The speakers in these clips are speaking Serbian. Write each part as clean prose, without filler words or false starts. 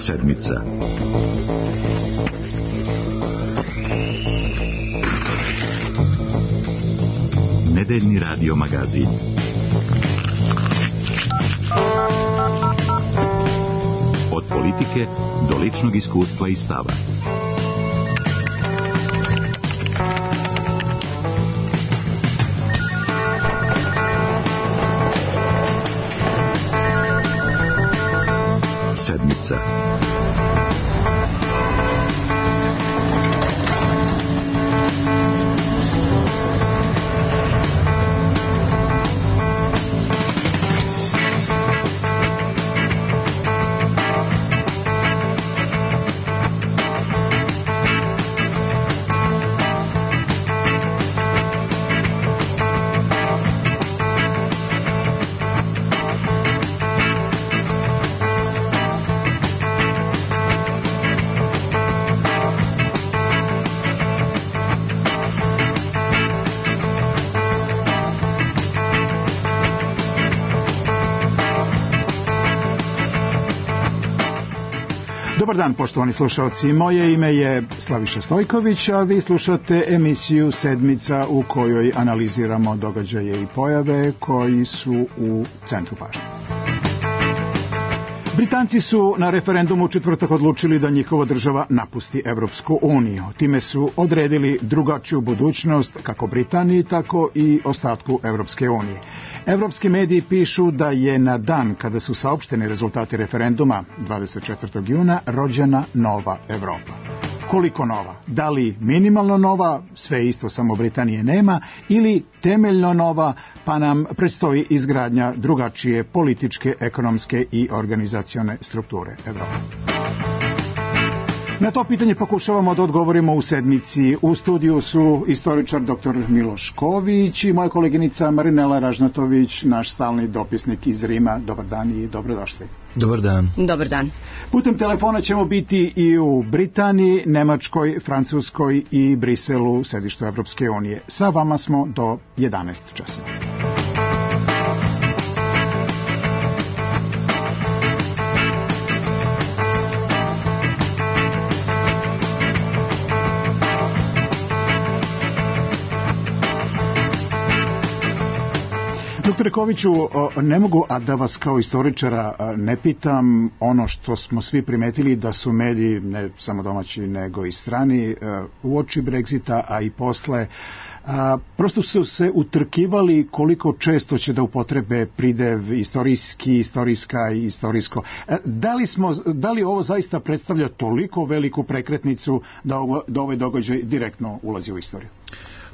Sedmica. Nedeljni radio magazin. Od politike do ličnog iskustva i stava. Sedmica. Dobar dan, poštovani slušalci. Moje ime je Slaviša Stojković, a vi slušate emisiju Sedmica u kojoj analiziramo događaje i pojave koji su u centru pažnje. Britanci su na referendumu u četvrtak odlučili da njihova država napusti Evropsku uniju. Time su odredili drugačiju budućnost kako Britaniji, tako i ostatku Evropske unije. Evropski mediji pišu da je na dan kada su saopšteni rezultati referenduma, 24. juna, rođena nova Evropa. Koliko nova? Da li minimalno nova, sve isto, samo Britanije nema, ili temeljno nova, pa nam predstoji izgradnja drugačije političke, ekonomske i organizacione strukture Evrope? Na to pitanje pokušavamo da odgovorimo u sedmici. U studiju su istoričar dr. Miloš Ković i moja koleginica Marinela Ražnatović, naš stalni dopisnik iz Rima. Dobar dan i dobrodošli. Dobar dan. Dobar dan. Putem telefona ćemo biti i u Britaniji, Nemačkoj, Francuskoj i Briselu, sedištu Evropske unije. Sa vama smo do 11 časova. Doktore Koviću, ne mogu a da vas kao istoričara ne pitam ono što smo svi primetili, da su mediji, ne samo domaći nego i strani, uoči Brexita, a i posle, prosto su se utrkivali koliko često će da upotrebe pridev istorijski, istorijska i istorijsko. Da li ovo zaista predstavlja toliko veliku prekretnicu da ovaj događaj direktno ulazi u istoriju?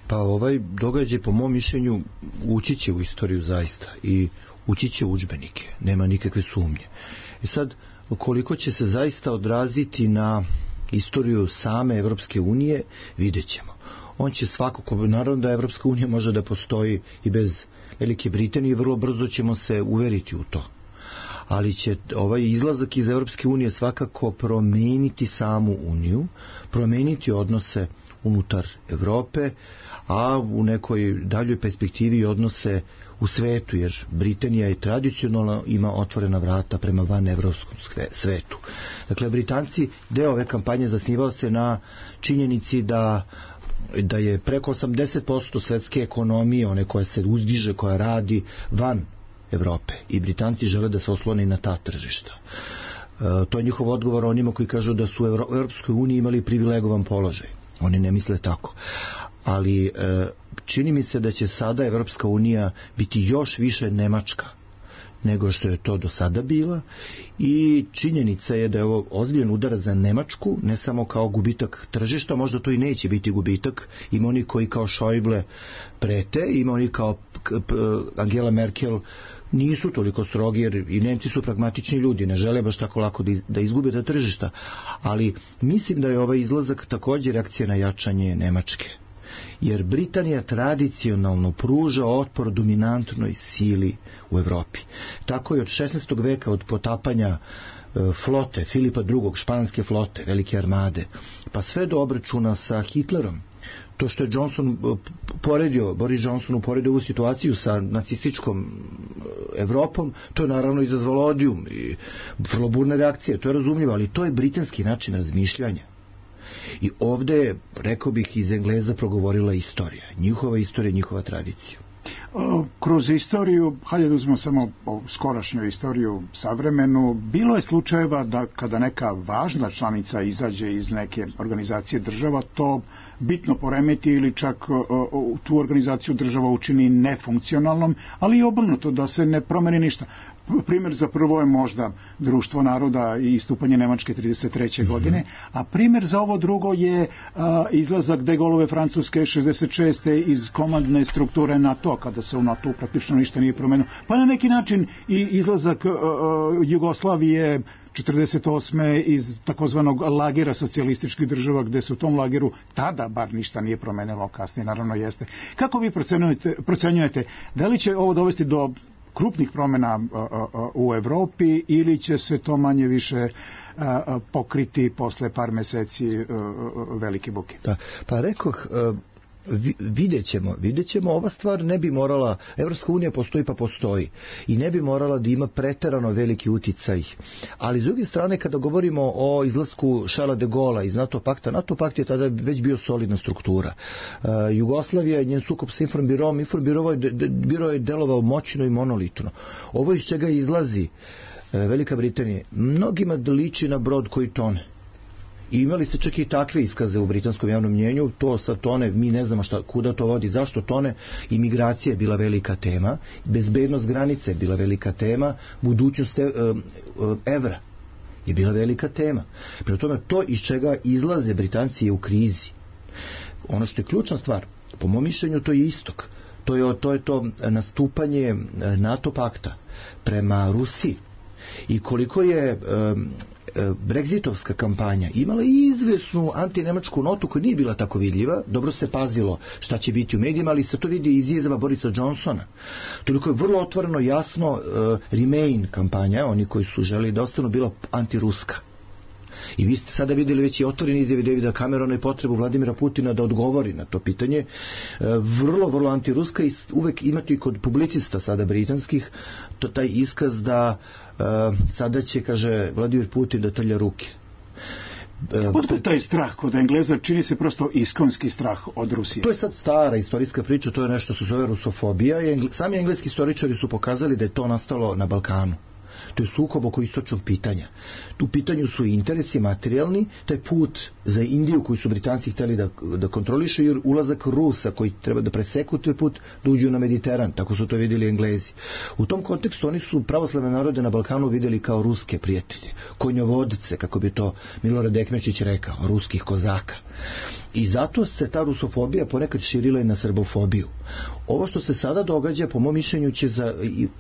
Pa ovaj događaj, po mom mišljenju, ući će u istoriju zaista i ući će u udžbenike, nema nikakve sumnje. I sad, koliko će se zaista odraziti na istoriju same Evropske unije, vidjet ćemo. On će svakako, naravno da Evropska unija može da postoji i bez Velike Britanije, vrlo brzo ćemo se uveriti u to. Ali će ovaj izlazak iz Evropske unije svakako promeniti samu uniju, promeniti odnose unutar Evrope, a u nekoj daljoj perspektivi odnose u svetu, jer Britanija je tradicionalno ima otvorena vrata prema vanevropskom svetu. Dakle, Britanci, deo ove kampanje zasnivao se na činjenici da je preko 80% svetske ekonomije, one koja se uzdiže, koja radi van Evrope, i Britanci žele da se oslone i na ta tržišta. To je njihov odgovor onima koji kažu da su u Evropskoj uniji imali privilegovan položaj. Oni ne misle tako. Ali čini mi se da će sada Evropska unija biti još više Nemačka nego što je to do sada bila, i činjenica je da je ovo ozbiljan udarac za Nemačku, ne samo kao gubitak tržišta, možda to i neće biti gubitak. Ima oni koji kao Schäuble prete, ima oni kao Angela Merkel nisu toliko strogi, jer i Nemci su pragmatični ljudi, ne žele baš tako lako da izgube ta tržišta, ali mislim da je ovaj izlazak također reakcija na jačanje Nemačke. Jer Britanija tradicionalno pruža otpor dominantnoj sili u Evropi. Tako je od 16. veka, od potapanja flote Filipa II, španske flote, velike armade, pa sve do obračuna sa Hitlerom To što je Boris Johnson uporedio ovu situaciju sa nacističkom Evropom, to je naravno izazvalo odijum i vrlo burne reakcije, to je razumljivo, ali to je britanski način razmišljanja. I ovdje, rekao bih, iz Engleza progovorila istorija, njihova tradicija. Kroz istoriju, hajde da uzmemo samo skorašnju istoriju savremenu, bilo je slučajeva da kada neka važna članica izađe iz neke organizacije država, to bitno poremeti ili čak tu organizaciju država učini nefunkcionalnom, ali i obrnuto, da se ne promeni ništa. Primjer za prvo je možda Društvo naroda i istupanje Nemačke 1933. godine, a primjer za ovo drugo je izlazak De Gaulleove Francuske 1966. iz komandne strukture NATO, kada se u NATO praktično ništa nije promenilo. Pa na neki način i izlazak Jugoslavije 1948. iz takozvanog lagera socijalističkih država, gdje se u tom lageru tada bar ništa nije promenilo, kasnije naravno jeste. Kako vi procenjujete, da li će ovo dovesti do krupnih promjena u Evropi ili će se to manje više pokriti posle par meseci velike buke? Da, pa rekoh, vidjet ćemo, ova stvar ne bi morala, Evropska unija postoji pa postoji i ne bi morala da ima preterano veliki uticaj, ali s druge strane kada govorimo o izlasku Charlesa de Gaulle'a iz NATO pakt je tada već bio solidna struktura. Jugoslavija, njen sukob sa Informbiro je delovao moćno i monolitno. Ovo iz čega izlazi Velika Britanija mnogima liči na brod koji tone. I imali ste čak i takve iskaze u britanskom javnom mnjenju, to sa tone, mi ne znamo kuda to vodi, zašto tone, imigracija je bila velika tema, bezbednost granice je bila velika tema, budućnost evra je bila velika tema. Prema tome, to iz čega izlaze Britanci je u krizi. Ono što je ključna stvar, po mom mišljenju, to je istok. To je to nastupanje NATO pakta prema Rusiji. I koliko je Brexitovska kampanja imala izvesnu antinemačku notu koja nije bila tako vidljiva, dobro se pazilo šta će biti u medijima, ali se to vidi iz izjava Borisa Johnsona. Toliko je vrlo otvoreno jasno Remain kampanja, oni koji su želi da ostanu, bila antiruska. I vi ste sada vidjeli već i otvoreni izjave Davida Camerona i potrebu Vladimira Putina da odgovori na to pitanje. Vrlo antiruska i uvek imate i kod publicista sada britanskih taj iskaz da sada će, kaže Vladimir Putin, da trlja ruke. Odakle taj strah kod Engleza? Čini se prosto iskonski strah od Rusije. To je sad stara istorijska priča, to je nešto što se zove rusofobija. Sami engleski istoričari su pokazali da je to nastalo na Balkanu. To je sukob oko istočnog pitanja. Tu pitanju su interesi materijalni, taj put za Indiju koji su Britanci htjeli da kontroliše, jer ulazak Rusa koji treba da preseku taj put, da uđu na Mediteran, tako su to vidjeli Englezi. U tom kontekstu oni su pravoslavne narode na Balkanu vidjeli kao ruske prijatelje, konjovodce, kako bi to Milorad Ekmečić rekao, ruskih kozaka. I zato se ta rusofobija ponekad širila i na srbofobiju. Ovo što se sada događa, po mom mišljenju, će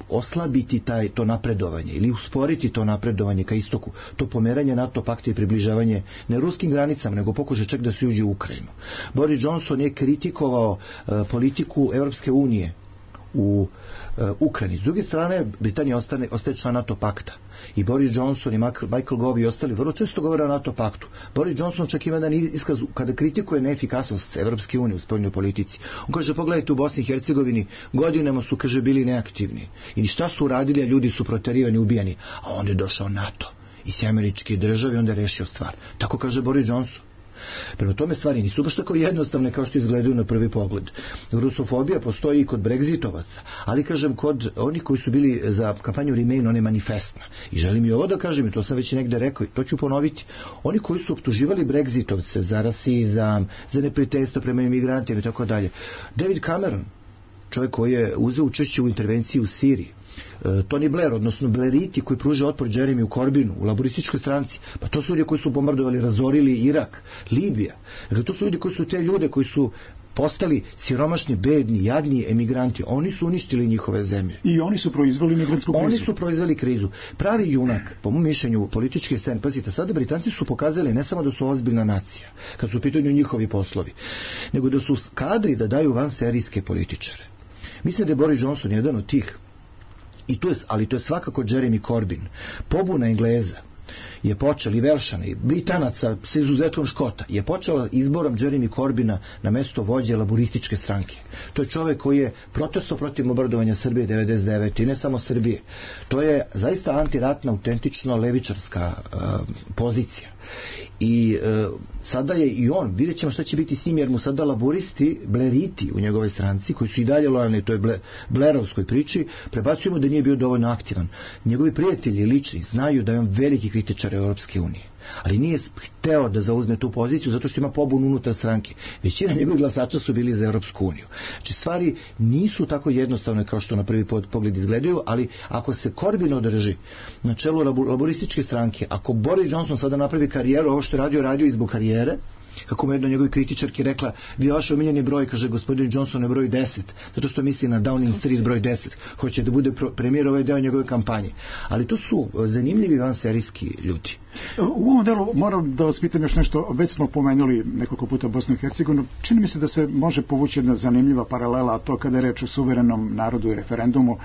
oslabiti to napredovanje ili usporiti to napredovanje ka istoku, to pomeranje NATO pakta i približavanje ne ruskim granicama, nego pokušaj čak da se uđe u Ukrajinu. Boris Johnson je kritikovao politiku Evropske unije u Ukrajini. S druge strane, Britanija ostaje član NATO pakta. I Boris Johnson i Michael Gove i ostali vrlo često govore o NATO paktu. Boris Johnson čak ima jedan iskaz kada kritikuje neefikasnost Evropske unije u spoljnoj politici. On kaže, pogledajte, u Bosni i Hercegovini godinama su, kaže, bili neaktivni. I šta su uradili, a ljudi su proterivani, ubijani. A onda je došao NATO i sve američke države i onda je rešio stvar. Tako kaže Boris Johnson. Prema tome, stvari nisu baš tako jednostavne kao što izgledaju na prvi pogled. Rusofobija postoji i kod Brexitovaca, ali kažem, kod onih koji su bili za kampanju Remain, ona je manifestna. I želim i ovo da kažem, i to sam već negde rekao, to ću ponoviti. Oni koji su optuživali Brexitovce za rasizam, za neprijateljstvo prema imigrantima i tako dalje. David Cameron, čovjek koji je uzeo učešće u intervenciji u Siriji, Tony Blair, odnosno Blairiti koji pruže otpor Jeremiju Corbynu u laborističkoj stranci, pa to su ljudi koji su bombardovali, razorili Irak, Libija. Dakle, to su ljudi koji su te ljude koji su postali siromašni, bedni, jadni emigranti. Oni su uništili njihove zemlje. I oni su proizveli migrantsku krizu. Oni su proizveli krizu. Pravi junak, po mom mišljenju, političke scene, pazite, sada Britanci su pokazali ne samo da su ozbiljna nacija, kad su u pitanju njihovi poslovi, nego da su kadri da daju vanserijske političare. Mislim da je Boris Johnson jedan od tih. Ali to je svakako Jeremy Corbyn. Pobuna Engleza je počela, i Velšana, i Britanaca sa izuzetkom Škota, je počela izborom Jeremy Corbina na mesto vođe laborističke stranke. To je čovjek koji je protestovao protiv bombardovanja Srbije 99. i ne samo Srbije. To je zaista antiratna, autentično levičarska pozicija. I sada je i on, vidjet ćemo šta će biti s njim, jer mu sada laboristi, bleriti u njegovoj stranci, koji su i dalje lojalni toj blerovskoj priči, prebacujemo da nije bio dovoljno aktivan. Njegovi prijatelji lični znaju da je on veliki kritičar Europske unije, ali nije hteo da zauzme tu poziciju zato što ima pobunu unutar stranke. Većina njegovih glasača su bili za Europsku uniju. Znači stvari nisu tako jednostavne kao što na prvi pogled izgledaju, ali ako se Corbyn održi na čelu laborističke stranke, ako Boris Johnson sada napravi karijeru, ovo što je radio i zbog karijere, kako mu jedna od njegovih kritičarki rekla, vi vaš omiljeni broj, kaže gospodin Johnson, je broj 10, zato što misli na Downing Street broj 10, hoće da bude premijer, ovaj deo njegove kampanje. Ali to su zanimljivi vanserijski ljudi. U ovom delu moram da vas pitam još nešto, već smo pomenuli nekoliko puta Bosnu i Hercegovinu, čini mi se da se može povući jedna zanimljiva paralela, a to kada je reč o suverenom narodu i referendumu,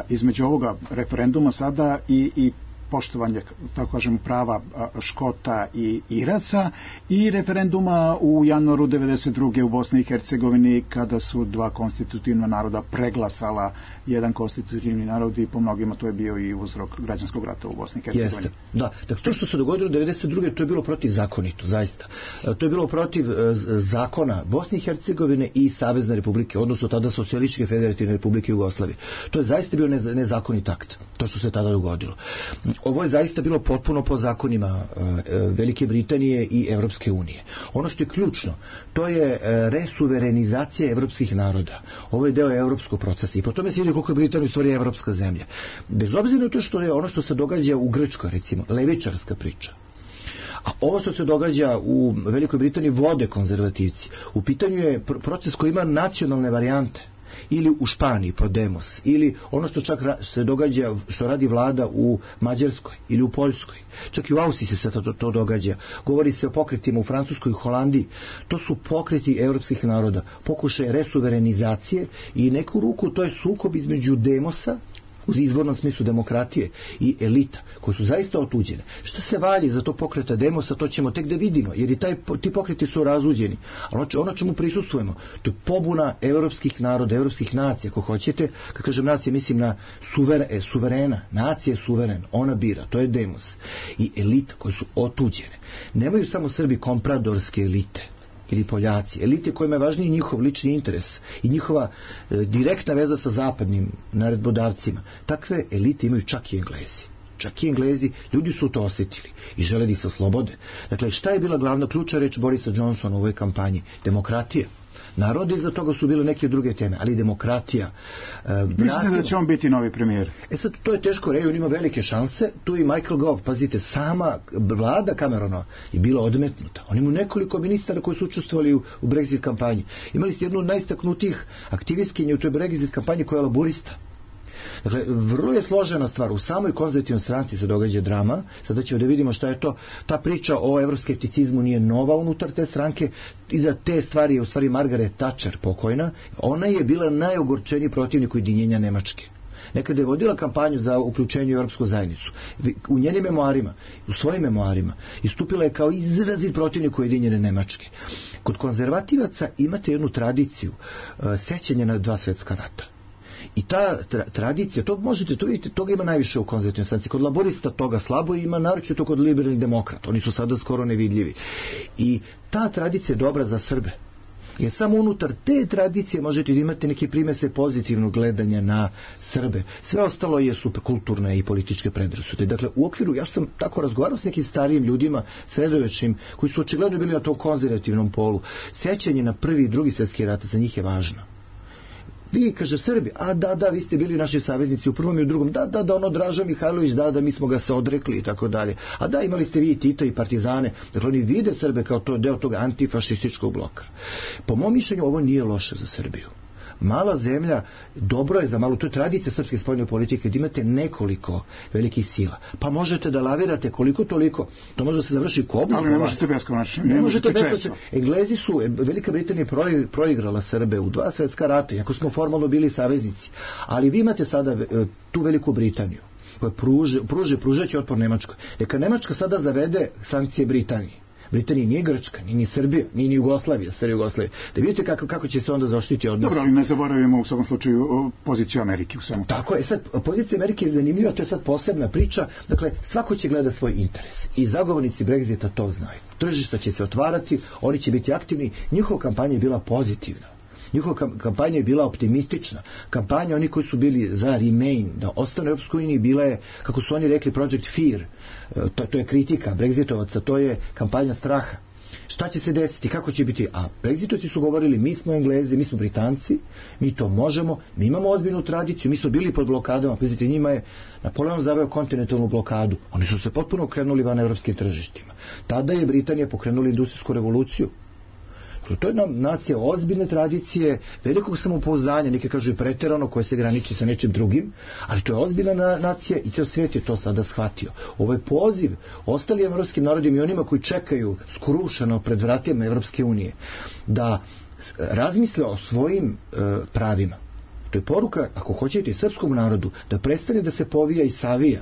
između ovoga referenduma sada i poštovanje, tako kažem, prava Škota i Iraca i referenduma u januaru 92. u Bosni i Hercegovini kada su dva konstitutivna naroda preglasala jedan konstitutivni narod i po mnogima to je bio i uzrok građanskog rata u Bosni i Hercegovini. Jeste, da. Dakle, to što se dogodilo 92. to je bilo protivzakonito, zaista. To je bilo protiv zakona Bosne i Hercegovine i Savezne republike, odnosno tada Socijalističke federativne republike Jugoslavije. To je zaista bio nezakonit akt, to što se tada dogodilo. Ovo je zaista bilo potpuno po zakonima Velike Britanije i Evropske unije. Ono što je ključno, to je resuverenizacija evropskih naroda. Ovo je deo evropskog procesa i po tome se vidi koliko je Britanija u stvari evropska zemlja. Bez obzira na to što je ono što se događa u Grčkoj, recimo, levičarska priča. A ovo što se događa u Velikoj Britaniji vode konzervativci. U pitanju je proces koji ima nacionalne varijante. Ili u Španiji, Podemos, ili ono što čak se događa, što radi vlada u Mađarskoj ili u Poljskoj. Čak i u Austriji se to događa. Govori se o pokretima u Francuskoj i Holandiji. To su pokreti evropskih naroda. Pokušaj resuverenizacije i neku ruku to je sukob između demosa, u izvornom smislu demokratije, i elita, koje su zaista otuđene. Šta se valji za to pokreta demosa, to ćemo tek da vidimo, jer i ti pokreti su razuđeni. Ali ono čemu prisustujemo, to je pobuna evropskih naroda, evropskih nacija, ako hoćete, kad kažem nacije, mislim na suverena, nacija je suveren, ona bira, to je demos. I elita, koje su otuđene. Nemaju samo Srbi kompradorske elite, ili Poljaci, elite kojima je važniji njihov lični interes i njihova direktna veza sa zapadnim naredbodavcima. Takve elite imaju čak i Englezi. Čak i Englezi, ljudi su to osjetili i žele da se oslobode. Dakle, šta je bila glavna ključna reč Borisa Johnsona u ovoj kampanji? Demokratija. Narodi iza toga su bile neke druge teme, ali demokratija. Mislite da će on biti novi premijer? Sad, to je teško reći, on ima velike šanse. Tu i Michael Gove, pazite, sama vlada Camerona je bila odmetnuta. On ima nekoliko ministara koji su učestvovali u Brexit kampanji. Imali ste jednu od najistaknutijih aktivistkinja u toj Brexit kampanji koja je laborista. Dakle, vrlo je složena stvar. U samoj konzervativnoj stranci se događa drama. Sada ćemo da vidimo šta je to. Ta priča o evroskepticizmu nije nova unutar te stranke. Iza te stvari je u stvari Margaret Thatcher pokojna. Ona je bila najogorčeniji protivnik ujedinjenja Nemačke. Nekada je vodila kampanju za uključenje u Europsku zajednicu. U njenim memoarima, u svojim memoarima, istupila je kao izrazit protivnik ujedinjene Nemačke. Kod konzervativaca imate jednu tradiciju sećanja na 2 svjetska rata. I ta tradicija, to možete, to vidite, toga ima najviše u konzervativnoj stranci. Kod laborista toga slabo ima, naročito kod liberalnih demokrata. Oni su sada skoro nevidljivi. I ta tradicija je dobra za Srbe. Jer samo unutar te tradicije možete da imate neke primese pozitivnog gledanja na Srbe. Sve ostalo je kulturne i političke predrasude. Dakle, u okviru, ja sam tako razgovarao s nekim starijim ljudima, sredovečnim, koji su očigledno bili na tom konzervativnom polu. Sećanje na prvi i drugi svjetski rat za njih je važno. Vi, kaže Srbi, da, vi ste bili naši saveznici u prvom i u drugom, da, ono Draža Mihajlović, da, mi smo ga se odrekli i tako dalje. A da, imali ste vi i Tita i partizane. Dakle, oni vide Srbe kao to deo tog antifašističkog bloka. Po mom mišljenju, ovo nije loše za Srbiju. Mala zemlja, dobro je za malu, to je tradicija srpske spoljne politike, da imate nekoliko velikih sila. Pa možete da lavirate koliko toliko, to može da se završi kobno. Ali ne možete beskonačno. Ne možete beskonačno. Englezi su, Velika Britanija proigrala Srbe u 2 svjetska rata, iako smo formalno bili saveznici. Ali vi imate sada tu Veliku Britaniju, koje pružat će otpor Nemačkoj. Neka Nemačka sada zavede sankcije Britaniji. Britanija nije Grčka, ni Srbija, ni Jugoslavija, da vidite kako će se onda zaštiti odnos. Dobro, ali ne zaboravimo u svakom slučaju poziciju Amerike u svemu. Tako je, sad pozicija Amerike je zanimljiva, to je sad posebna priča, dakle svako će gleda svoj interes i zagovornici Brexita to znaju. Tržišta će se otvarati, oni će biti aktivni, njihova kampanja je bila pozitivna. Njihova kampanja je bila optimistična. Kampanja oni koji su bili za Remain, da ostane u Europskoj uniji, bila je, kako su oni rekli, Project Fear. To je kritika Brexitovaca, to je kampanja straha. Šta će se desiti, kako će biti? A Brexitovci su govorili, mi smo Englezi, mi smo Britanci, mi to možemo, mi imamo ozbiljnu tradiciju, mi smo bili pod blokadama, priznite, njima je Napoleon zaveo kontinentalnu blokadu. Oni su se potpuno okrenuli van evropskim tržištima. Tada je Britanija pokrenula industrijsku revoluciju. To je nacija ozbiljne tradicije, velikog samopouzdanja, neki kažu i preterano, koje se graniči sa nečim drugim, ali to je ozbiljna nacija i cijel svijet je to sada shvatio. Ovo je poziv ostalim evropskim narodima i onima koji čekaju skrušeno pred vratima Evropske unije da razmisle o svojim pravima. To je poruka, ako hoćete, i srpskom narodu, da prestane da se povija i savija.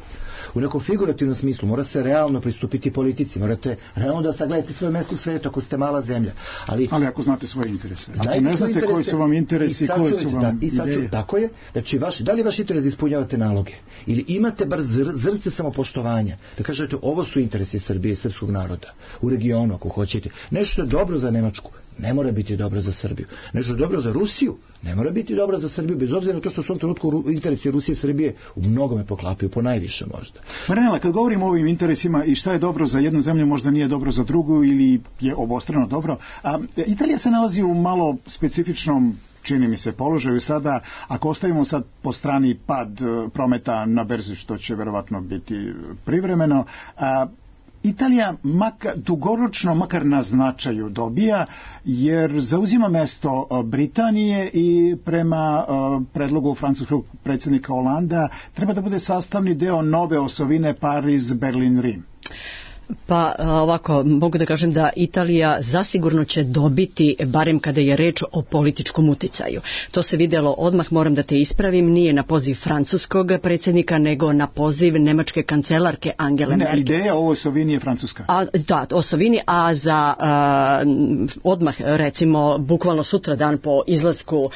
U nekom figurativnom smislu mora se realno pristupiti politici, morate realno da sagledate svoje mesto u svijetu ako ste mala zemlja. Ali ako znate svoje interese. Ako ne znate koji su vam interesi, koji su vam ideje. Tako je, znači da li je vaš interes da ispunjavate naloge? Ili imate bar zrnce samopoštovanja? Da kažete, ovo su interesi Srbije i srpskog naroda. U regionu, ako hoćete. Nešto je dobro za Nemačku, ne mora biti dobro za Srbiju. Nešto je dobro za Rusiju, ne mora biti dobro za Srbiju, bez obzira na to što su u ovom trenutku interesi Rusije i Srbije u mnogome poklapaju, po najviše možda. Marinela, kad govorimo o ovim interesima i šta je dobro za jednu zemlju, možda nije dobro za drugu ili je obostrano dobro, Italija se nalazi u malo specifičnom, čini mi se, položaju sada, ako ostavimo sad po strani pad prometa na berzi, što će verovatno biti privremeno, Italija dugoročno makar na značaju dobija, jer zauzima mesto Britanije i prema predlogu francuskog predsjednika Holanda treba da bude sastavni deo nove osovine Pariz-Berlin-Rim. Pa ovako, mogu da kažem da Italija zasigurno će dobiti, barem kada je reč o političkom uticaju. To se vidjelo odmah, moram da te ispravim, nije na poziv francuskog predsjednika, nego na poziv nemačke kancelarke Angele Merkel. Ideja o osovini je francuska. Da, osovini, a za odmah, recimo, bukvalno sutra dan po izlasku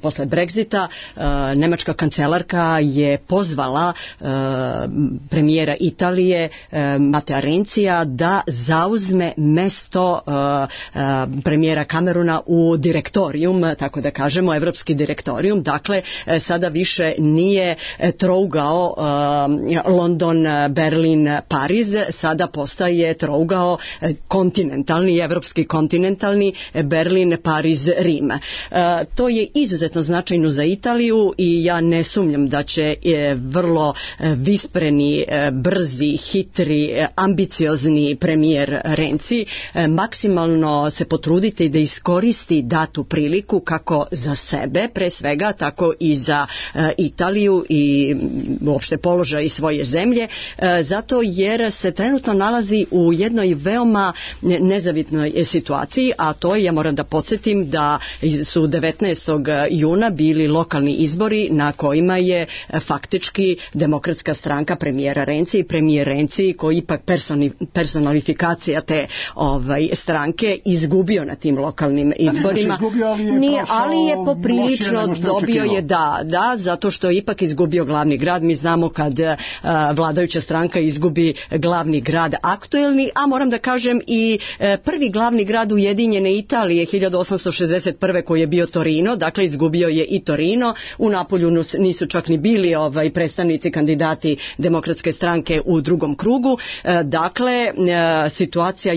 posle Brexita, nemačka kancelarka je pozvala premijera Italije, Matteo Rencija, da zauzme mesto premijera Camerona u direktorijum, tako da kažemo, evropski direktorijum. Dakle, sada više nije trougao London, Berlin, Pariz, sada postaje trougao kontinentalni, evropski kontinentalni, Berlin, Pariz, Rim. To je izuzetno značajno za Italiju i ja ne sumnjam da će vrlo vispreni, brzi, hitri, ambiciozni premijer Renzi maksimalno se potruditi da iskoristi datu priliku kako za sebe pre svega, tako i za Italiju i uopšte položaj svoje zemlje, zato jer se trenutno nalazi u jednoj veoma nezavidnoj situaciji, a to je, ja moram da podsjetim da su 19. juna bili lokalni izbori na kojima je faktički demokratska stranka premijera Renzi i premijer Renzi, koji ipak personalifikacija te stranke, izgubio na tim lokalnim izborima. Ali je poprilično dobio je, da, zato što je ipak izgubio glavni grad. Mi znamo kad vladajuća stranka izgubi glavni grad aktuelni, a moram da kažem i prvi glavni grad Ujedinjene Italije 1861. koji je bio Torino, dakle izgubio je i Torino. U Napolju nisu čak ni bili predstavnici kandidati demokratske stranke u drugom krugu. Dakle, situacija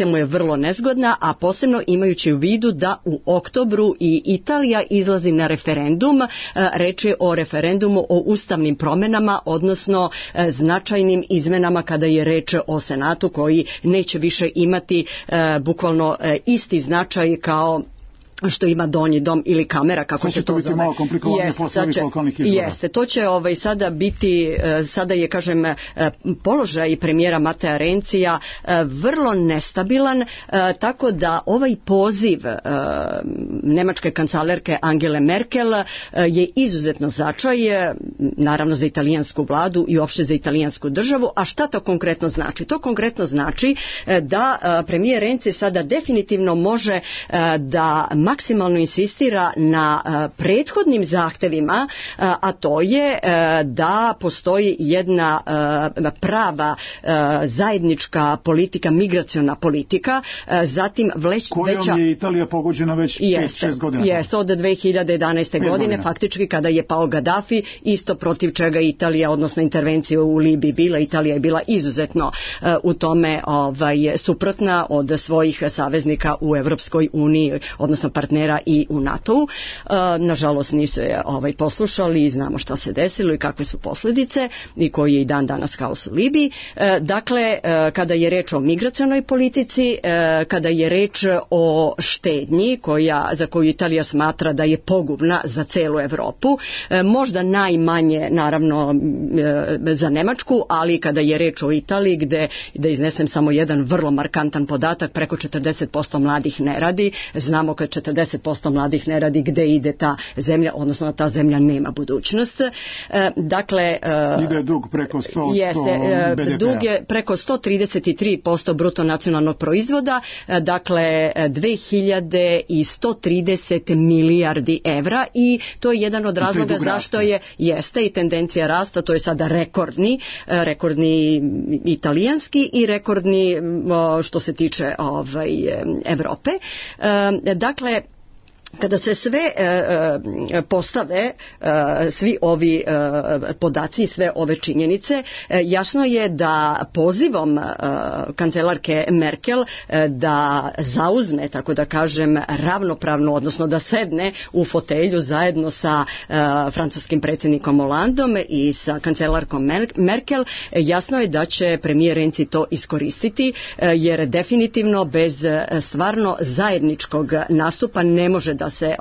mu je vrlo nezgodna, a posebno imajući u vidu da u oktobru i Italija izlazi na referendum. Reč je o referendumu o ustavnim promjenama, odnosno značajnim izmenama kada je reč o Senatu, koji neće više imati bukvalno isti značaj kao što ima donji dom ili kamera, kako se to zove. Sad će to biti malo komplikovanje posle ovih lokalnih izbora. Jeste, to će sada biti, sada je, kažem, položaj premijera Matea Rencija vrlo nestabilan, tako da ovaj poziv nemačke kancelarke Angele Merkel je izuzetno značaj, naravno za italijansku vladu i uopšte za italijansku državu. A šta to konkretno znači? To konkretno znači da premijer Renzi sada definitivno može da maksimalno insistira na prethodnim zahtevima, a to je da postoji jedna prava zajednička politika, migraciona politika, zatim kojom je Italija pogođena već 5-6 godina. Jeste, od 2011. godine, faktički kada je pao Gaddafi, isto protiv čega Italija, odnosno intervencija u Libiji bila, Italija je bila izuzetno u tome suprotna od svojih saveznika u Evropskoj uniji, odnosno partnera i u NATO-u. Nažalost nisu poslušali i znamo šta se desilo i kakve su posljedice i koji je i dan danas haos u Libiji. Dakle, kada je reč o migracionoj politici, kada je reč o štednji za koju Italija smatra da je pogubna za celu Evropu, možda najmanje naravno za Nemačku, ali kada je reč o Italiji, gde da iznesem samo jedan vrlo markantan podatak, preko 40% mladih ne radi. Znamo kad 40% mladih ne radi, gde ide ta zemlja, odnosno ta zemlja nema budućnost. Dakle, ide dug preko 100% BDP-a. Dug je preko 133% bruto nacionalnog proizvoda, dakle 2130 milijardi evra, i to je jedan od razloga zašto jeste i tendencija rasta, to je sada rekordni italijanski i rekordni što se tiče Evrope. Dakle, kada se sve postave, svi ovi podaci i sve ove činjenice, jasno je da pozivom kancelarke Merkel da zauzme, tako da kažem, ravnopravno, odnosno da sedne u fotelju zajedno sa francuskim predsjednikom Hollandom i sa kancelarkom Merkel, jasno je da će premijer Renzi to iskoristiti, jer definitivno bez stvarno zajedničkog nastupa ne može da se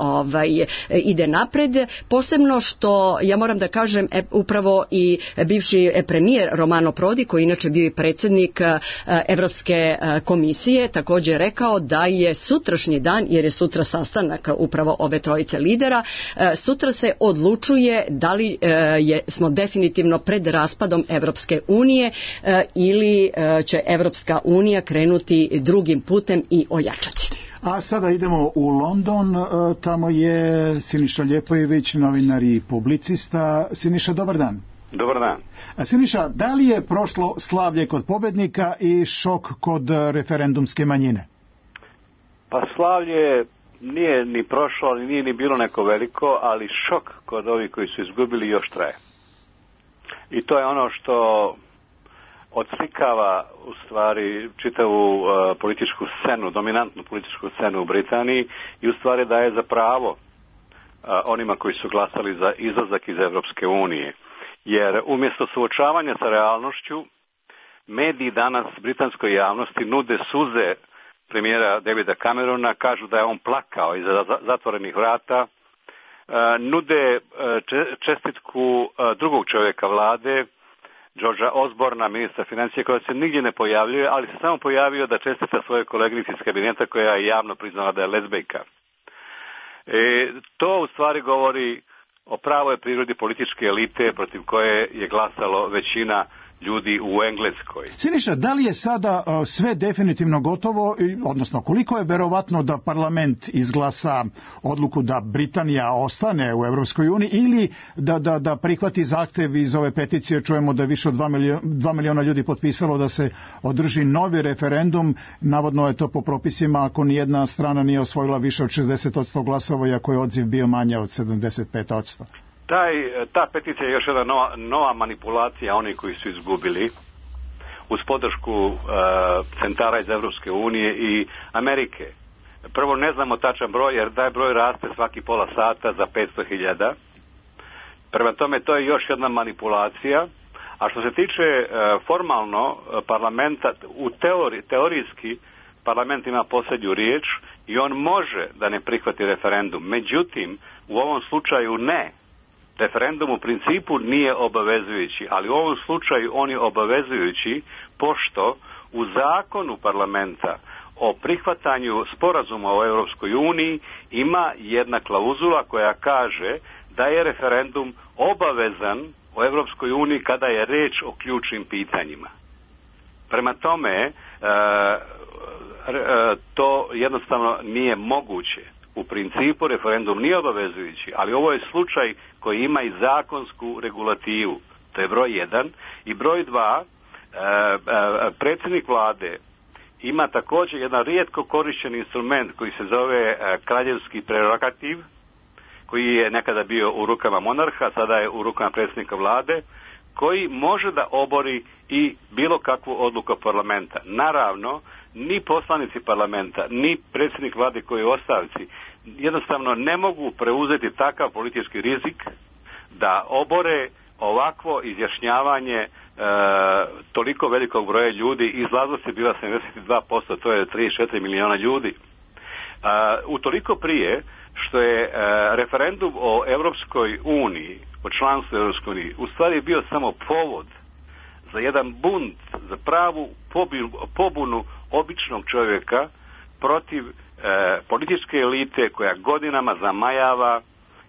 ide napred, posebno što ja moram da kažem upravo i bivši premijer Romano Prodi, koji inače bio i predsjednik Evropske komisije, također rekao da je sutrašnji dan, jer je sutra sastanak upravo ove trojice lidera, sutra se odlučuje da li smo definitivno pred raspadom Evropske unije ili će Evropska unija krenuti drugim putem i ojačati. A sada idemo u London, tamo je Siniša Ljepojević, novinar i publicista. Siniša, dobar dan. Dobar dan. Siniša, da li je prošlo slavlje kod pobednika i šok kod referendumske manjine? Pa slavlje nije ni prošlo, ali nije ni bilo neko veliko, ali šok kod ovih koji su izgubili još traje. I to je ono što odslikava u stvari čitavu političku scenu, dominantnu političku scenu u Britaniji, i u stvari daje za pravo onima koji su glasali za izlazak iz Evropske unije. Jer umjesto suočavanja sa realnošću, mediji danas britanskoj javnosti nude suze premijera Davida Camerona, kažu da je on plakao iza zatvorenih vrata, nude čestitku drugog čovjeka vlade, Georgea Osborna, ministra financija, koja se nigdje ne pojavljuje, ali se samo pojavio da čestita svoje koleginici iz kabineta, koja je javno priznala da je lezbejka. To u stvari govori o pravoj prirodi političke elite protiv koje je glasalo većina ljudi u Engleskoj. Siniša, da li je sada sve definitivno gotovo, odnosno koliko je verovatno da parlament izglasa odluku da Britanija ostane u Evropskoj uniji ili da prihvati zahtev iz ove peticije? Čujemo da je više od 2 miliona ljudi potpisalo da se održi novi referendum. Navodno je to po propisima ako nijedna strana nije osvojila više od 60% glasova, iako je odziv bio manje od 75%. Ta peticija je još jedna nova manipulacija onih koji su izgubili uz podršku centara iz Evropske unije i Amerike. Prvo, ne znamo tačan broj, jer taj broj raste svaki pola sata za 500.000. Prema tome, to je još jedna manipulacija. A što se tiče formalno parlamenta, teorijski parlament ima posljednju riječ i on može da ne prihvati referendum. Međutim, u ovom slučaju ne. Referendum u principu nije obavezujući, ali u ovom slučaju on je obavezujući pošto u zakonu parlamenta o prihvatanju sporazuma o Europskoj uniji ima jedna klauzula koja kaže da je referendum obavezan o Europskoj uniji kada je riječ o ključnim pitanjima. Prema tome, to jednostavno nije moguće. U principu referendum nije obavezujući, ali ovo je slučaj koji ima i zakonsku regulativu. To je broj 1. I broj 2, predsjednik vlade ima također jedan rijetko korišten instrument koji se zove kraljevski prerogativ, koji je nekada bio u rukama monarha, sada je u rukama predsjednika vlade, koji može da obori i bilo kakvu odluku parlamenta. Naravno, ni poslanici parlamenta, ni predsjednik vlade koji je u ostavci, jednostavno ne mogu preuzeti takav politički rizik da obore ovakvo izjašnjavanje toliko velikog broja ljudi. Izlaznost je bila 72%, to je 34 miliona ljudi. Utoliko prije što je referendum o Europskoj uniji, o članstvu Europskoj uniji, u stvari bio samo povod za jedan bunt, za pravu pobunu običnog čovjeka protiv političke elite koja godinama zamajava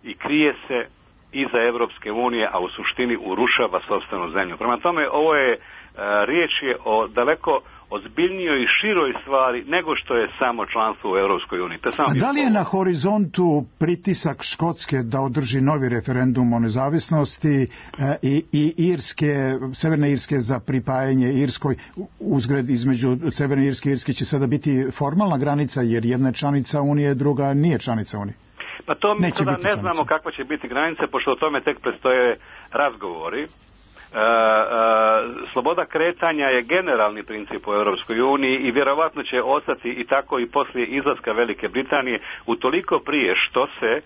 i krije se iza Europske unije, a u suštini urušava sopstvenu zemlju. Prema tome, ovo je riječ je o daleko ozbiljnijoj i široj stvari nego što je samo članstvo u Europskoj uniji. A da li je na horizontu pritisak Škotske da održi novi referendum o nezavisnosti i Irske, Severne Irske za pripajanje Irskoj? Uzgred između Severne Irske i Irske će sada biti formalna granica jer jedna je članica Unije, druga nije članica Unije. Pa to mi sada ne znamo kakva će biti granica, pošto o tome tek predstoje razgovori. Sloboda kretanja je generalni princip u Europskoj uniji i vjerovatno će ostati i tako i poslije izlaska Velike Britanije, utoliko prije što se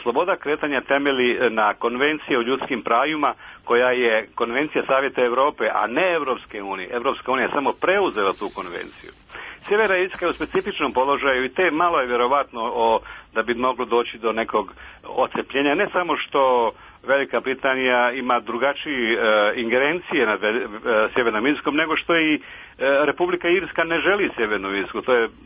sloboda kretanja temelji na konvenciji o ljudskim pravima koja je konvencija Savjeta Europe, a ne Europske unije. Europska unija je samo preuzela tu konvenciju. Sjeverna Irska je u specifičnom položaju i te malo je vjerovatno da bi moglo doći do nekog odcepljenja. Ne samo što Velika Britanija ima drugačije ingerencije nad Sjevernom Irskom, nego što i Republika Irska ne želi Sjevernu Irsku,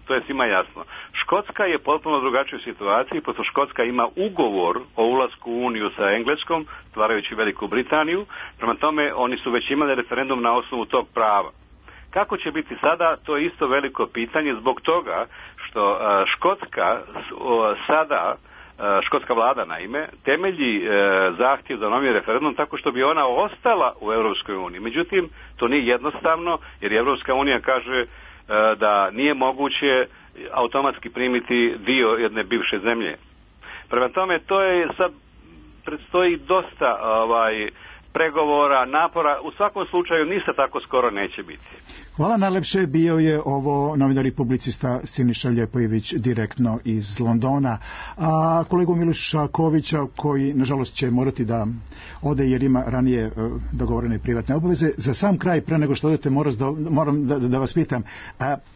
to je svima jasno. Škotska je potpuno drugačijoj situaciji, pošto Škotska ima ugovor o ulasku u Uniju sa Engleskom, stvarajući Veliku Britaniju, prema tome oni su već imali referendum na osnovu tog prava. Kako će biti sada, to je isto veliko pitanje zbog toga što Škotska sada, škotska vlada naime, temelji zahtjev za novi referendum tako što bi ona ostala u Europskoj uniji. Međutim, to nije jednostavno jer Europska unija kaže da nije moguće automatski primiti dio jedne bivše zemlje. Prema tome, to je sad, predstoji dosta pregovora, napora, u svakom slučaju ništa tako skoro neće biti. Hvala najlepše, bio je ovo novinar i publicista Siniša Ljepojević direktno iz Londona. A kolegu Miloša Kovića, koji nažalost će morati da ode jer ima ranije dogovorene privatne obaveze. Za sam kraj, pre nego što odete, moram da vas pitam,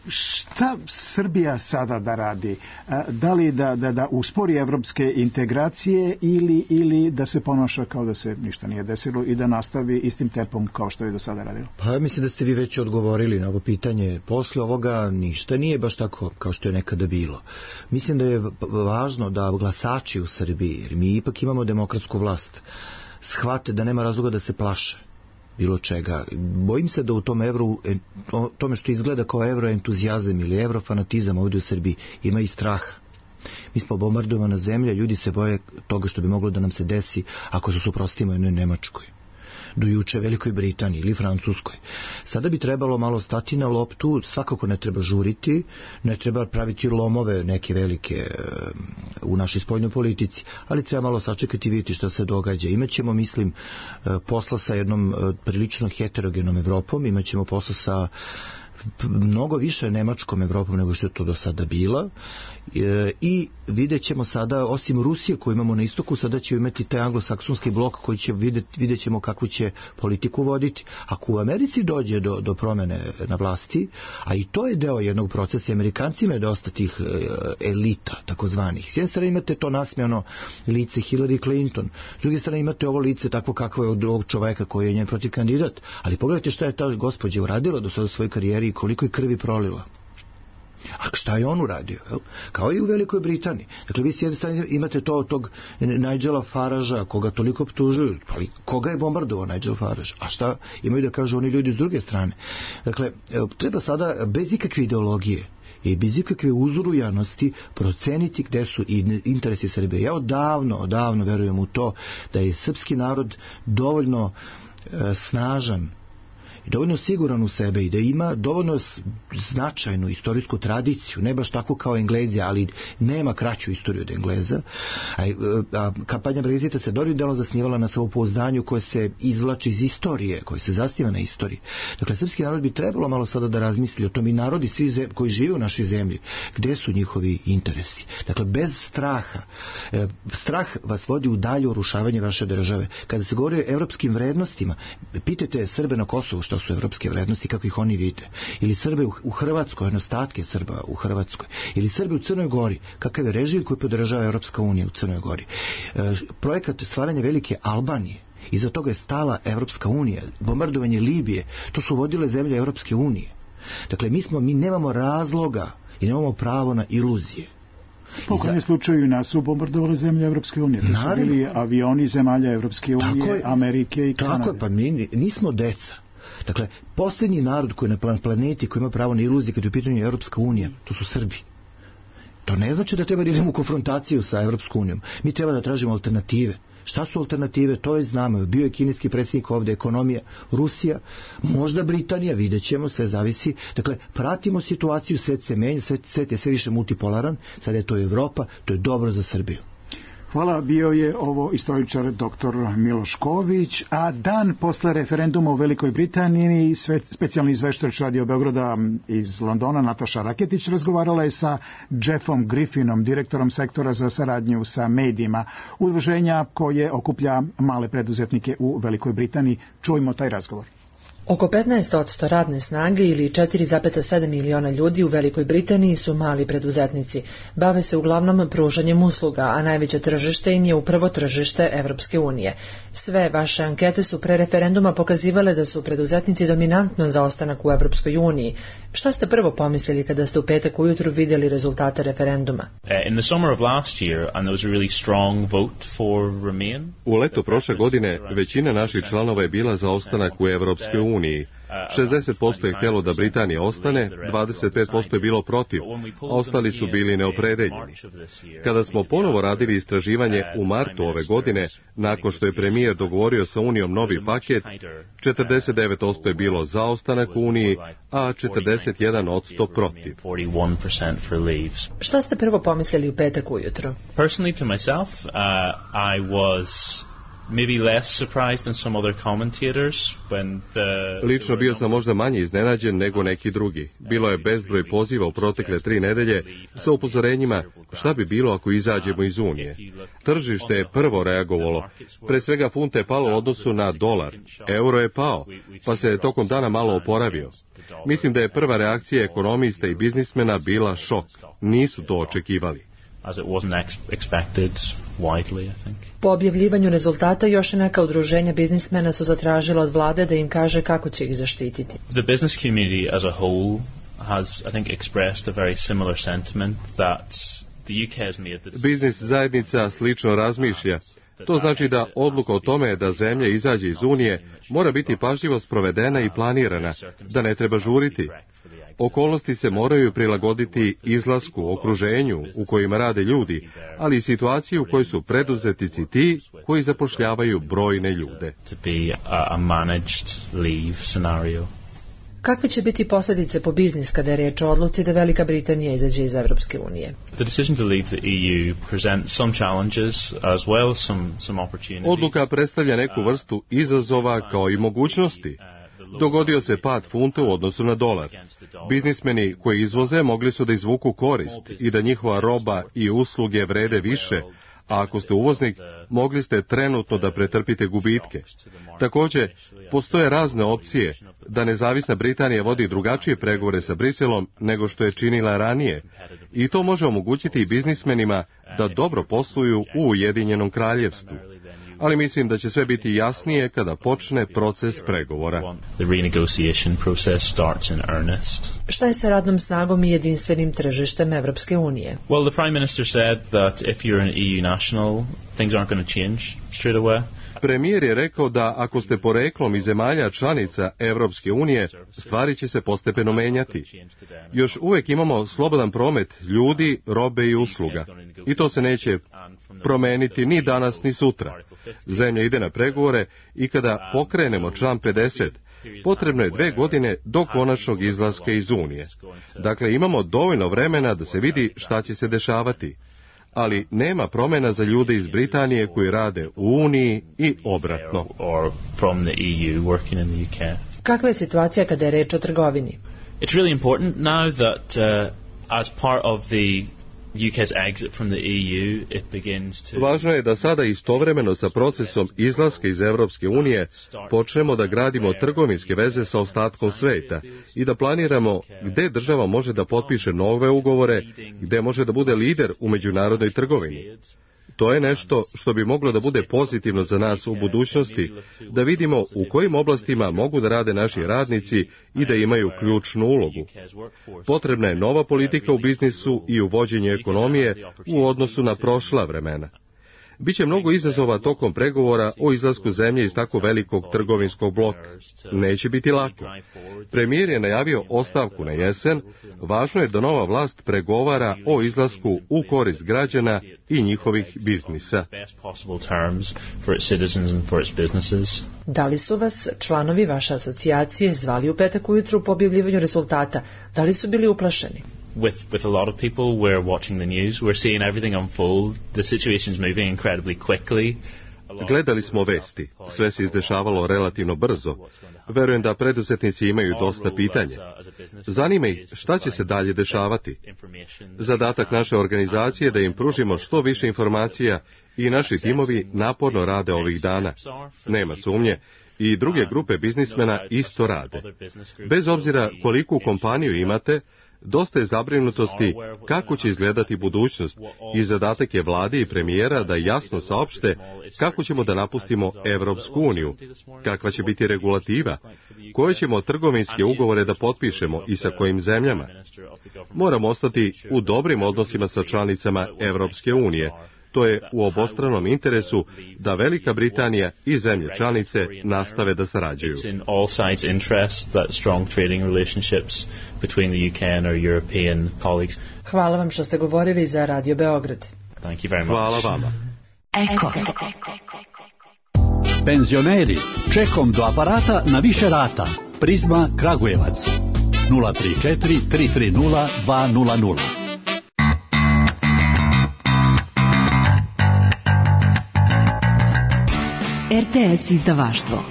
šta Srbija sada da radi? Da li da uspori evropske integracije ili da se ponaša kao da se ništa nije desilo i da nastavi istim tempom kao što je do sada radilo? Pa mislim da ste vi već odgovorili na ovo pitanje. Posle ovoga ništa nije baš tako kao što je nekada bilo. Mislim da je važno da glasači u Srbiji, jer mi ipak imamo demokratsku vlast, shvate da nema razloga da se plaše bilo čega. Bojim se da u tom tome što izgleda kao evroentuzijazam ili evrofanatizam ovdje u Srbiji ima i straha. Mi smo bombardovana zemlja, ljudi se boje toga što bi moglo da nam se desi ako se suprotstavimo jednoj Nemačkoj, do juče Velikoj Britaniji ili Francuskoj. Sada bi trebalo malo stati na loptu, svakako ne treba žuriti, ne treba praviti lomove neke velike u našoj spoljnoj politici, ali treba malo sačekati i vidjeti što se događa. Imaćemo, mislim, posla sa jednom prilično heterogenom Evropom, imaćemo posla sa mnogo više Nemačkom Evropom nego što je to do sada bila, i vidjet ćemo sada, osim Rusije koju imamo na istoku, sada će imati taj anglosaksonski blok koji će vidjet ćemo kakvu će politiku voditi. Ako u Americi dođe do promene na vlasti, a i to je deo jednog procesa, Amerikancima je dosta tih elita, takozvanih. S jedne strane imate to nasmejano lice Hillary Clinton, s druge strane imate ovo lice takvo kakvo je od ovog čoveka koji je njen protiv kandidat, ali pogledajte šta je ta gospođa uradila do sada u svojoj karijeri i koliko je krvi prolila. A šta je on uradio? Kao i u Velikoj Britaniji. Dakle, vi s jedne strane imate tog Nigela Faragea, koga toliko optužuju, ali koga je bombardovao Nigel Farage? A šta imaju da kažu oni ljudi s druge strane? Dakle, treba sada bez ikakve ideologije i bez ikakve uzurujanosti proceniti gde su interesi Srbije. Ja odavno verujem u to da je srpski narod dovoljno snažan i dovoljno siguran u sebe i da ima dovoljno značajnu istorijsku tradiciju, ne baš tako kao Englezi, ali nema kraću istoriju od Engleza. A kampanja Brexita se dobrim delom zasnivala na samopouzdanju koje se izvlači iz istorije, koje se zasniva na istoriji. Dakle, srpski narod bi trebalo malo sada da razmisli o tom, i narodi svi koji žive u našoj zemlji, gde su njihovi interesi. Dakle, bez straha. Strah vas vodi u dalje urušavanje vaše države. Kada se govori o evropskim vrednostima, pitajte Srbe na Kosovu što su evropske vrednosti, kako ih oni vide. Ili Srbe u Hrvatskoj, ostatke Srba u Hrvatskoj. Ili Srbe u Crnoj Gori, kakav je režim koji podržava Evropska unija u Crnoj Gori. Projekat stvaranja velike Albanije, iza toga je stala Evropska unija, bombardovanje Libije, to su vodile zemlje Evropske unije. Dakle, mi nemamo razloga i nemamo pravo na iluzije. Po kojem slučaju nas su bombardovali zemlje Evropske unije. To su bili avioni zemalja Evropske unije, Amerike i Kanade. Tako je, pa mi nismo deca. Dakle, posljednji narod koji je na planeti, koji ima pravo na iluzije kad je u pitanju Evropska unija, to su Srbi. To ne znači da treba da idemo u konfrontaciju sa Evropskom unijom. Mi treba da tražimo alternative. Šta su alternative? To je znamo. Bio je kineski predsjednik ovdje, ekonomija, Rusija, možda Britanija, vidjet ćemo, sve zavisi. Dakle, pratimo situaciju, svet se menja, svet je sve više multipolaran, sad je to Evropa, to je dobro za Srbiju. Hvala, bio je ovo istoričar dr. Miloš Ković, a dan posle referenduma u Velikoj Britaniji specijalni izveštač Radio Beograda iz Londona Nataša Raketić razgovarala je sa Jeffom Griffinom, direktorom sektora za saradnju sa medijima, udruženja koje okuplja male preduzetnike u Velikoj Britaniji. Čujmo taj razgovor. Oko 15% radne snage ili 4,7 miliona ljudi u Velikoj Britaniji su mali preduzetnici. Bave se uglavnom pružanjem usluga, a najveće tržište im je upravo tržište Evropske unije. Sve vaše ankete su pre referenduma pokazivale da su preduzetnici dominantno za ostanak u Evropskoj uniji. Šta ste prvo pomislili kada ste u petak ujutru vidjeli rezultate referenduma? U leto prošle godine većina naših članova je bila za ostanak u Evropskoj uniji. 60% je htjelo da Britanija ostane, 25% je bilo protiv, a ostali su bili neopredeljeni. Kada smo ponovo radili istraživanje u martu ove godine, nakon što je premijer dogovorio sa Unijom novi paket, 49% je bilo za ostanak u Uniji, a 41% protiv. Šta ste prvo pomislili u petak ujutro? Personally to myself, I was maybe less surprised than some other commentators when Lično bio sam možda manje iznenađen nego neki drugi. Bilo je bezbroj poziva u protekle 3 nedelje sa upozorenjima šta bi bilo ako izađemo iz Unije. Tržište je prvo reagovalo. Pre svega funta je palo u odnosu na dolar. Euro je pao, pa se je tokom dana malo oporavio. Mislim da je prva reakcija ekonomista i biznismena bila šok. Nisu to očekivali. As it wasn't expected widely, I think. Po objavljivanju rezultata još neka udruženja biznismena su zatražila od vlade da im kaže kako će ih zaštititi. The business community as a whole has, I think, expressed a very similar sentiment that the UK has made the decision. Biznis zajednica slično razmišlja. To znači da odluka o tome da zemlja izađe iz Unije mora biti pažljivo sprovedena i planirana, da ne treba žuriti. Okolnosti se moraju prilagoditi izlasku, okruženju u kojima rade ljudi, ali i situaciji u kojoj su preduzetnici ti koji zapošljavaju brojne ljude. Kakve će biti posljedice po biznis kada je riječ o odluci da Velika Britanija izađe iz Evropske unije? Odluka predstavlja neku vrstu izazova kao i mogućnosti. Dogodio se pad funta u odnosu na dolar. Biznismeni koji izvoze mogli su da izvuku korist i da njihova roba i usluge vrede više, a ako ste uvoznik, mogli ste trenutno da pretrpite gubitke. Također, postoje razne opcije da nezavisna Britanija vodi drugačije pregovore sa Briselom nego što je činila ranije, i to može omogućiti i biznismenima da dobro posluju u Ujedinjenom kraljevstvu. Ali mislim da će sve biti jasnije kada počne proces pregovora. Šta je sa radnom snagom i jedinstvenim tržištem Evropske unije? Well, the Prime Minister said that if you're an EU national, things aren't going to change straight away. Premijer je rekao da ako ste poreklom iz zemalja članica Evropske unije, stvari će se postepeno menjati. Još uvijek imamo slobodan promet ljudi, robe i usluga. I to se neće promeniti ni danas ni sutra. Zemlja ide na pregovore i kada pokrenemo član 50, potrebno je 2 godine do konačnog izlaska iz Unije. Dakle, imamo dovoljno vremena da se vidi šta će se dešavati. Ali nema promjena za ljude iz Britanije koji rade u Uniji i obratno. Kakva je situacija kada je reč o trgovini? It's really important now that as part of the UK's exit from the EU, it begins to... Važno je da sada istovremeno sa procesom izlaska iz Evropske unije počnemo da gradimo trgovinske veze sa ostatkom sveta i da planiramo gde država može da potpiše nove ugovore, gde može da bude lider u međunarodnoj trgovini. To je nešto što bi moglo da bude pozitivno za nas u budućnosti, da vidimo u kojim oblastima mogu da rade naši radnici i da imaju ključnu ulogu. Potrebna je nova politika u biznisu i u vođenju ekonomije u odnosu na prošla vremena. Biće mnogo izazova tokom pregovora o izlasku zemlje iz tako velikog trgovinskog bloka. Neće biti lako. Premijer je najavio ostavku na jesen. Važno je da nova vlast pregovara o izlasku u korist građana i njihovih biznisa. Da li su vas članovi vaše asocijacije zvali u petak ujutru po objavljivanju rezultata? Da li su bili uplašeni? With a lot of people, we're watching the news, we're seeing everything unfold, the situation's moving incredibly quickly. Gledali smo vesti, sve se izdešavalo relativno brzo. Verujem da preduzetnici imaju dosta pitanja. Zanima ih šta će se dalje dešavati. Zadatak naše organizacije je da im pružimo što više informacija i naši timovi naporno rade ovih dana. Nema sumnje. I druge grupe biznismena isto rade. Bez obzira koliku kompaniju imate, dosta je zabrinutosti kako će izgledati budućnost i zadatak je vlade i premijera da jasno saopšte kako ćemo da napustimo Evropsku uniju, kakva će biti regulativa, koje ćemo trgovinske ugovore da potpišemo i sa kojim zemljama. Moramo ostati u dobrim odnosima sa članicama Evropske unije. To je u obostranom interesu da Velika Britanija i zemlje članice nastave da sarađuju. Hvala vam što ste govorili za Radio Beograd. Hvala vama. Eko. Penzioneri, čekom do aparata na više rata. Prizma Kragujevac 034 330 200. RTS izdavaštvo.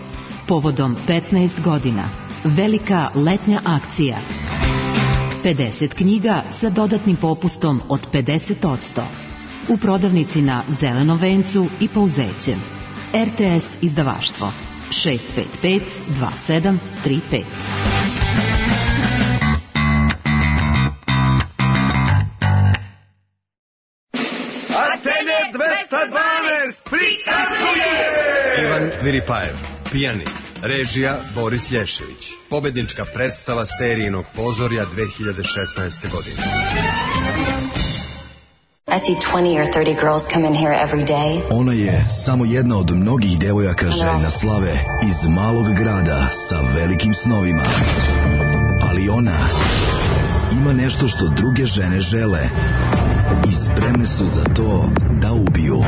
Povodom 15 godina. Velika letnja akcija. 50 knjiga sa dodatnim popustom od 50%. U prodavnici na Zelenom vencu i Pouzećem. RTS izdavaštvo. 655 2735. Antene 212 prikazuje Ivan Viripajev, pijanik, režija Boris Lješević, pobednička predstava Sterijinog pozorja 2016. godine. I see 20 or 30 girls come in here every day. Ona je samo jedna od mnogih devojaka željna slave iz malog grada sa velikim snovima. Ali ona ima nešto što druge žene žele i spremne su za to da ubiju.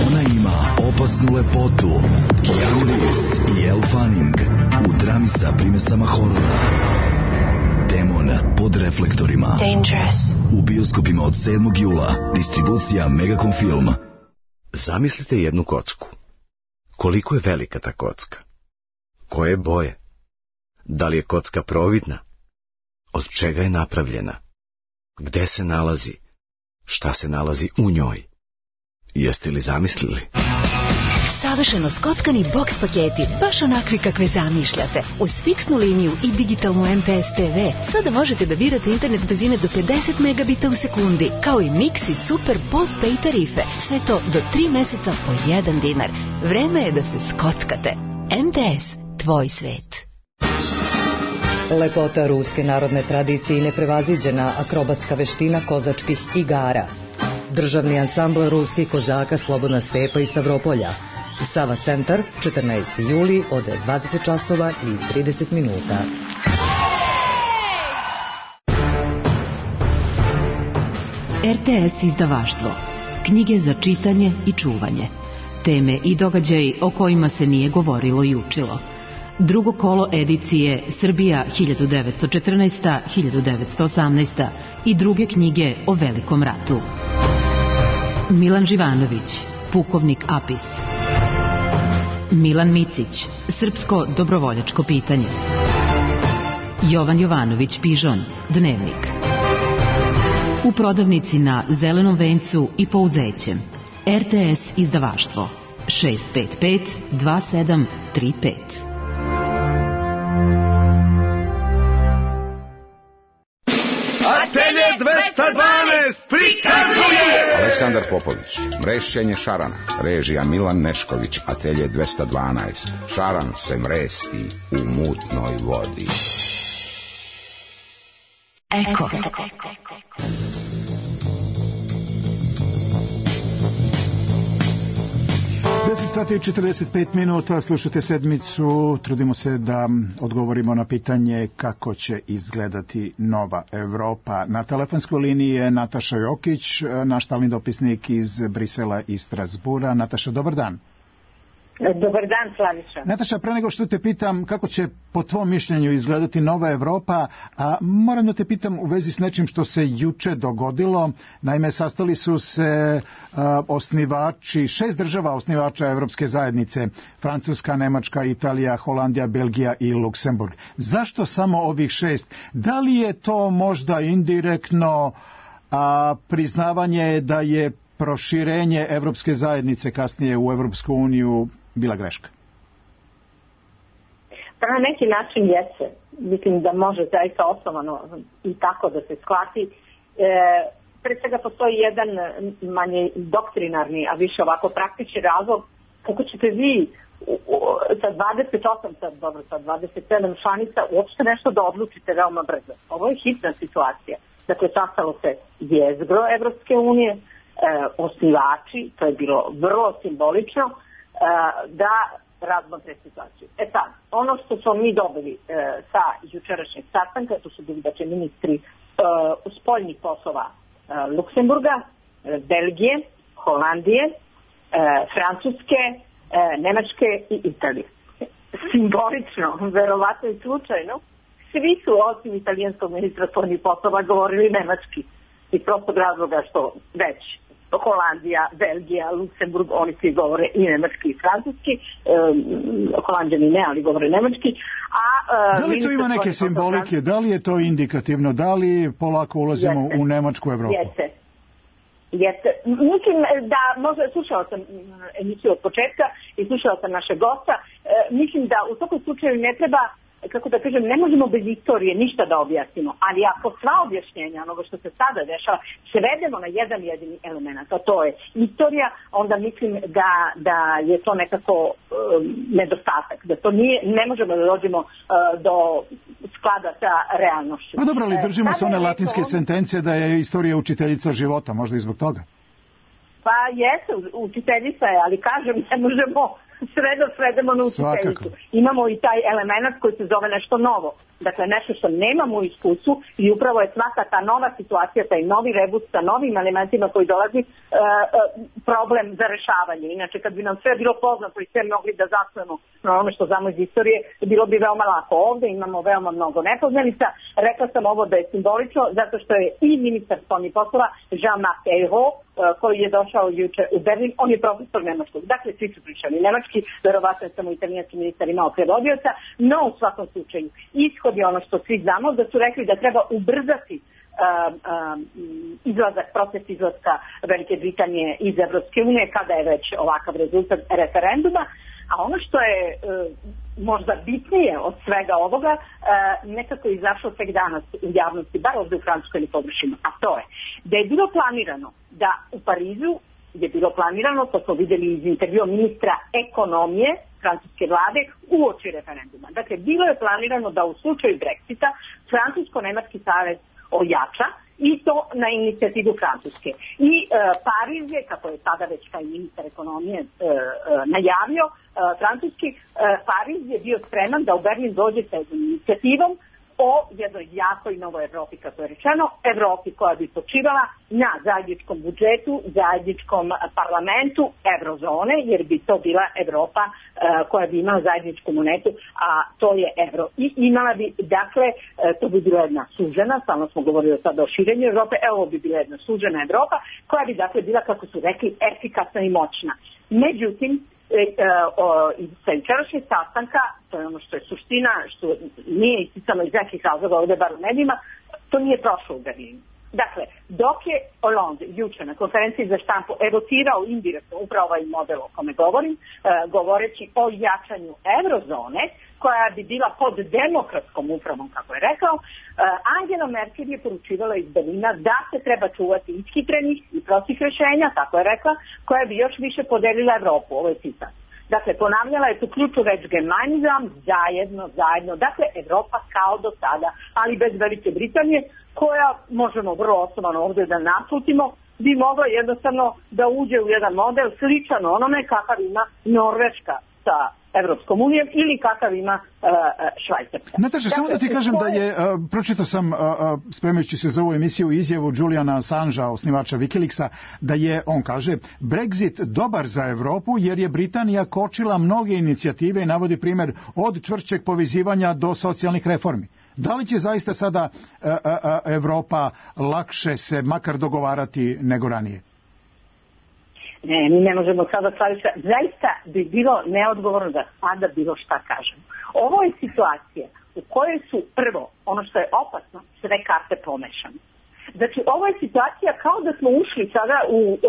Ona ima opasnu lepotu, Keanu Reeves i Elle Fanning u drami sa primesama horora. Demon pod reflektorima. Dangerous. U bioskopima od 7. jula. Distribucija Megacom Film. Zamislite jednu kocku. Koliko je velika ta kocka? Koje boje? Da li je kocka providna? Od čega je napravljena? Gde se nalazi? Šta se nalazi u njoj? Jeste li zamislili? Savršeno skockani boks paketi, baš onakvi kakve zamišljate. Uz fiksnu liniju i digitalnu MTS TV sada možete da birate internet brzine do 50 megabita u sekundi, kao i mix i super postpay tarife. Sve to do 3 meseca po 1 dinar. Vreme je da se skockate. MTS, tvoj svet. Lepota ruske narodne tradicije i neprevaziđena akrobatska veština kozačkih igara. Državni ansambl ruskih kozaka Slobodna stepa iz Stavropolja. Sava centar, 14. juli od 20 časova i 30 minuta. RTS izdavaštvo. Knjige za čitanje i čuvanje. Teme i događaji o kojima se nije govorilo i učilo. Drugo kolo edicije Srbija 1914-1918 i druge knjige o Velikom ratu. Milan Živanović, Pukovnik Apis. Milan Micić, Srpsko dobrovoljačko pitanje. Jovan Jovanović Pižon, Dnevnik. U prodavnici na Zelenom vencu i Pouzećem. RTS izdavaštvo 655 2735. Atelje 212 prikazuje Aleksandar Popović, mrešćenje šarana, režija Milan Nešković, Atelje 212. Šaran se mresti u mutnoj vodi. Eko. 10 sati i 45 minuta, slušate sedmicu, trudimo se da odgovorimo na pitanje kako će izgledati nova Evropa. Na telefonskoj liniji je Nataša Jokić, naš stalni dopisnik iz Brisela i Strasbura. Nataša, dobar dan. Dobar dan, Slaviša. Nataša, pre nego što te pitam kako će po tvom mišljenju izgledati nova Evropa, a moram da te pitam u vezi s nečim što se juče dogodilo. Naime, sastali su se osnivači, 6 država osnivača Evropske zajednice, Francuska, Nemačka, Italija, Holandija, Belgija i Luksemburg. Zašto samo ovih 6? Da li je to možda indirektno priznavanje da je proširenje Evropske zajednice kasnije u Evropsku uniju bila greška? Pa na neki način jeste. Mislim da može zaista osnovano i tako da se shvati. Pre svega postoji jedan manje doktrinarni, a više ovako praktični razlog kako ćete vi sa 28, sa 27 članica uopšte nešto da odlučite veoma brzo. Ovo je hitna situacija. Dakle, sastalo se jezgro Evropske unije, osnivači, to je bilo vrlo simbolično, da razmotre situaciju. sad, ono što smo mi dobili sa jučerašnjeg sastanka, to su bili ministri spoljnih poslova Luksemburga, Belgije, Holandije, Francuske, Nemačke i Italije. Simbolično, verovatno i slučajno, svi su osim italijanskog ministra spoljnih poslova govorili nemački. Iz prostog razloga što već Holandija, Belgija, Luksemburg, oni svi govore i nemački i francuski, Holandjani ne, ali govore nemački. Da li to ima neke simbolike, da li je to indikativno, da li polako ulazimo u Nemačku Evropu? Jeste. Mislim da, možda slušala sam emisiju od početka i slušala sam naše gosta, mislim da u svakom slučaju ne treba, kako da kažem, ne možemo bez istorije ništa da objasnimo, ali ako sva objašnjenja onoga što se sada dešava svedemo na jedan jedini element, a to je istorija, onda mislim da je to nekako nedostatak, da to nije, ne možemo da dođemo do sklada sa realnošću. Pa dobro, ali držimo se one latinske sentencije da je istorija učiteljica života, možda i zbog toga. Pa jeste, učiteljica je, ali kažem, ne možemo svedemo na učiteljicu. Imamo i taj element koji se zove nešto novo. Dakle, nešto što nemamo u iskustvu i upravo je svaka ta nova situacija, taj novi rebus sa novim elementima koji dolazi problem za rešavanje. Inače, kad bi nam sve bilo poznato i sve mogli da zasnujemo na ono što znamo iz istorije, bilo bi veoma lako. Ovde imamo veoma mnogo nepoznanica, Rekla sam ovo da je simbolično zato što je i ministar spoljnih poslova Jean-Marc Ayrault, koji je došao juče u Berlin, on je profesor nemačkog. Dakle, svi su pričali nemački, verovatno je samo italijanski ministar imao prevodioca, no u svakom slučaju ishod je ono što svi znamo, da su rekli da treba ubrzati proces izlaska Velike Britanije iz Evropske unije kada je već ovakav rezultat referenduma. A ono što je možda bitnije od svega ovoga, nekako je izašlo tek danas u javnosti, bar ovdje u Francuskoj ne pogrešimo, a to je da je bilo planirano da u Parizu je bilo planirano, to smo vidjeli iz intervjua ministra ekonomije francuske vlade uoči referenduma. Dakle, bilo je planirano da u slučaju Brexita Francusko-Nemački savez ojača i to na inicijativu Francuske. I Pariz je, kako je tada već taj ministar ekonomije najavio, francuski, Pariz je bio spreman da u Berlin dođe sa inicijativom o jednoj jakoj novoj Evropi, kako je rečeno, Evropi koja bi počivala na zajedničkom budžetu, zajedničkom parlamentu eurozone, jer bi to bila Evropa koja bi imala zajedničku monetu, a to je euro. I imala bi, dakle, to bi bila jedna sužena, stalno smo govorili sada o širenju Evrope, ovo bi bila jedna sužena Evropa, koja bi, dakle, bila, kako su rekli, efikasna i moćna. Međutim, sa jučerašnjeg sastanka, to je ono što je suština, što nije isticano iz nekih razloga ovdje bar u medijima, to nije prošlo u Berlinu. Dakle, dok je Hollande juče na konferenciji za štampu evocirao indirektno upravo ovaj model o kome govorim, govoreći o jačanju eurozone, koja bi bila pod demokratskom upravom, kako je rekao, Angela Merkel je poručivala iz Berlina da se treba čuvati ishitrenih i prostih rješenja, tako je rekla, koja bi još više podelila Evropu, ovo je citat. Dakle, ponavljala je tu ključu reč gemeinsam, zajedno, dakle, Evropa kao do sada, ali bez Velike Britanije, koja, možemo vrlo osnovano ovdje da naslutimo, bi mogla jednostavno da uđe u jedan model sličan onome kakav ima Norveška sa Evropskom unijom ili kakav ima Švajcarska. Nataša, samo da ti kažem da je, pročitao sam, spremajući se za ovu emisiju, izjavu Juliana Assangea, osnivača Wikileaksa, da je, on kaže, Brexit dobar za Evropu jer je Britanija kočila mnoge inicijative i navodi primjer od čvršćeg povezivanja do socijalnih reformi. Da li će zaista sada Evropa lakše se makar dogovarati nego ranije? Ne, mi ne možemo sada staviti. Zaista bi bilo neodgovorno da sada bilo šta kažemo. Ovo je situacija u kojoj su prvo, ono što je opasno, sve karte pomešane. Znači, ovo je situacija kao da smo ušli sada,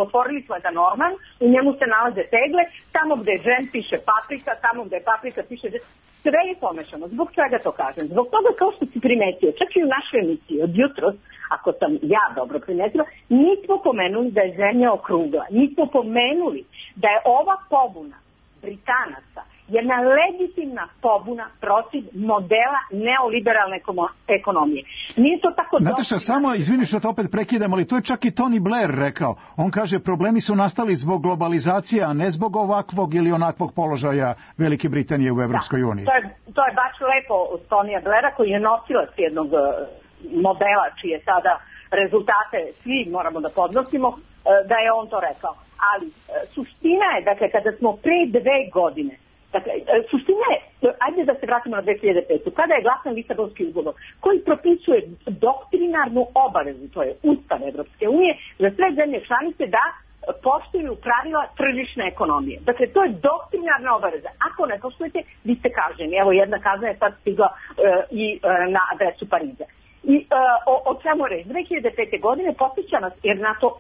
otvorili smo jedan orman, u njemu se nalaze tegle, tamo gde je džem piše paprika, tamo gde je paprika piše džem. Sve je pomešano. Zbog čega to kažem? Zbog toga, kao što si primetio, čak i u našoj emisiji od jutros, ako sam ja dobro primetila, nismo pomenuli da je zemlja okrugla. Nismo pomenuli da je ova pobuna Britanaca jedna legitimna pobuna protiv modela neoliberalne ekonomije. Nije to tako dobro. Nataša, samo, izvini što te opet prekidam, ali to je čak i Tony Blair rekao. On kaže, problemi su nastali zbog globalizacije, a ne zbog ovakvog ili onakvog položaja Velike Britanije u Evropskoj uniji. To je baš lepo od Tonija Blaira, koji je nosilac jednog modela čije sada rezultate svi moramo da podnosimo, da je on to rekao. Ali suština je, dakle, kada smo pre 2 godine, dakle, suština je, ajde da se vratimo na 2005. Kada je glasan Lisabonski ugovor, koji propisuje doktrinarnu obavezu, to je Ustav Evropske unije, za sve zemlje članice da poštuju pravila tržišne ekonomije. Dakle, to je doktrinarna obaveza. Ako ne poštujete, vi ste kažnjeni. Evo, jedna kazna je sad stigla i na adresu Pariza. I o čemu reći? 2005. godine podsjeća nas, jer na to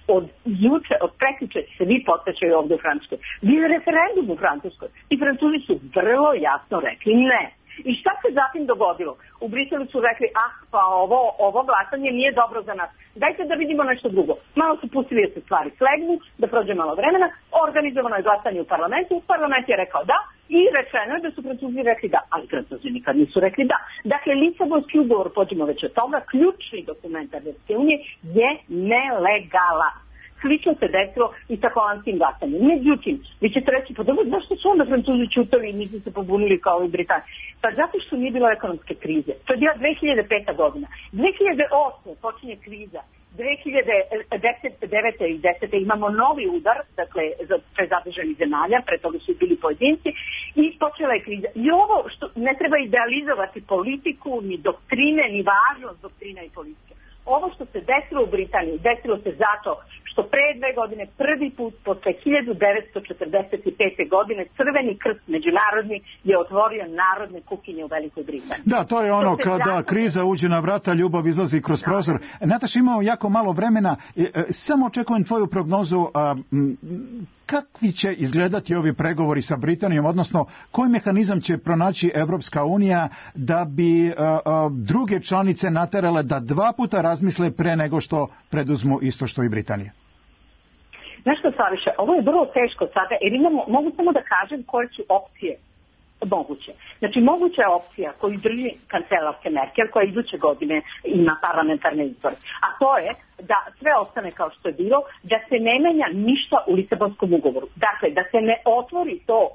od juče, od prekjuče svi podsjećaju ovdje u Francuskoj. Bio je referendum u Francuskoj i Francuzi su vrlo jasno rekli ne. I šta se zatim dogodilo? U Briselu su rekli, pa ovo glasanje nije dobro za nas. Dajte da vidimo nešto drugo. Malo su pustili da se stvari slegnu, da prođe malo vremena, organizovano je glasanje u parlamentu, parlament je rekao da i rečeno je da su Francuzi rekli da, ali Francuzi nikad nisu rekli da. Dakle, Lisabonski ugovor, pođemo već od toga, ključni dokument Evropske unije je nelegalan. Slično se desilo i sa holandskim glasanjem. Međutim, vi ćete reći, pa dobro, zašto su onda Francuzi čutali i nisu se pobunili kao i Britanci? Pa zato što nije bilo ekonomske krize. To je bila 2005. godina. 2008. počinje kriza 2009. i 10. imamo novi udar, dakle, za prezadržanih zemalja, pre toga su bili pojedinci, i počela je kriza. I ovo što ne treba idealizovati politiku, ni doktrine, ni važnost doktrina i politike. Ovo što se desilo u Britaniji, desilo se zato što pre 2 godine, prvi put posle 1945. godine, Crveni krst međunarodni je otvorio narodne kuhinje u Velikoj Britaniji. Da, to je ono kada kriza uđe na vrata, ljubav izlazi kroz prozor. Nataša, imamo jako malo vremena, samo očekujem tvoju prognozu. Kakvi će izgledati ovi pregovori sa Britanijom, odnosno koji mehanizam će pronaći Evropska unija da bi druge članice naterale da 2 puta razmisle pre nego što preduzmu isto što i Britanija? Znaš što, Slaviša, ovo je vrlo teško sada, jer mogu samo da kažem koje su opcije moguće. Znači, moguća je opcija koju drži kancelarke Merkel, koja iduće godine ima parlamentarne izbore. A to je da sve ostane kao što je bilo, da se ne menja ništa u Lisabonskom ugovoru. Dakle, da se ne otvori to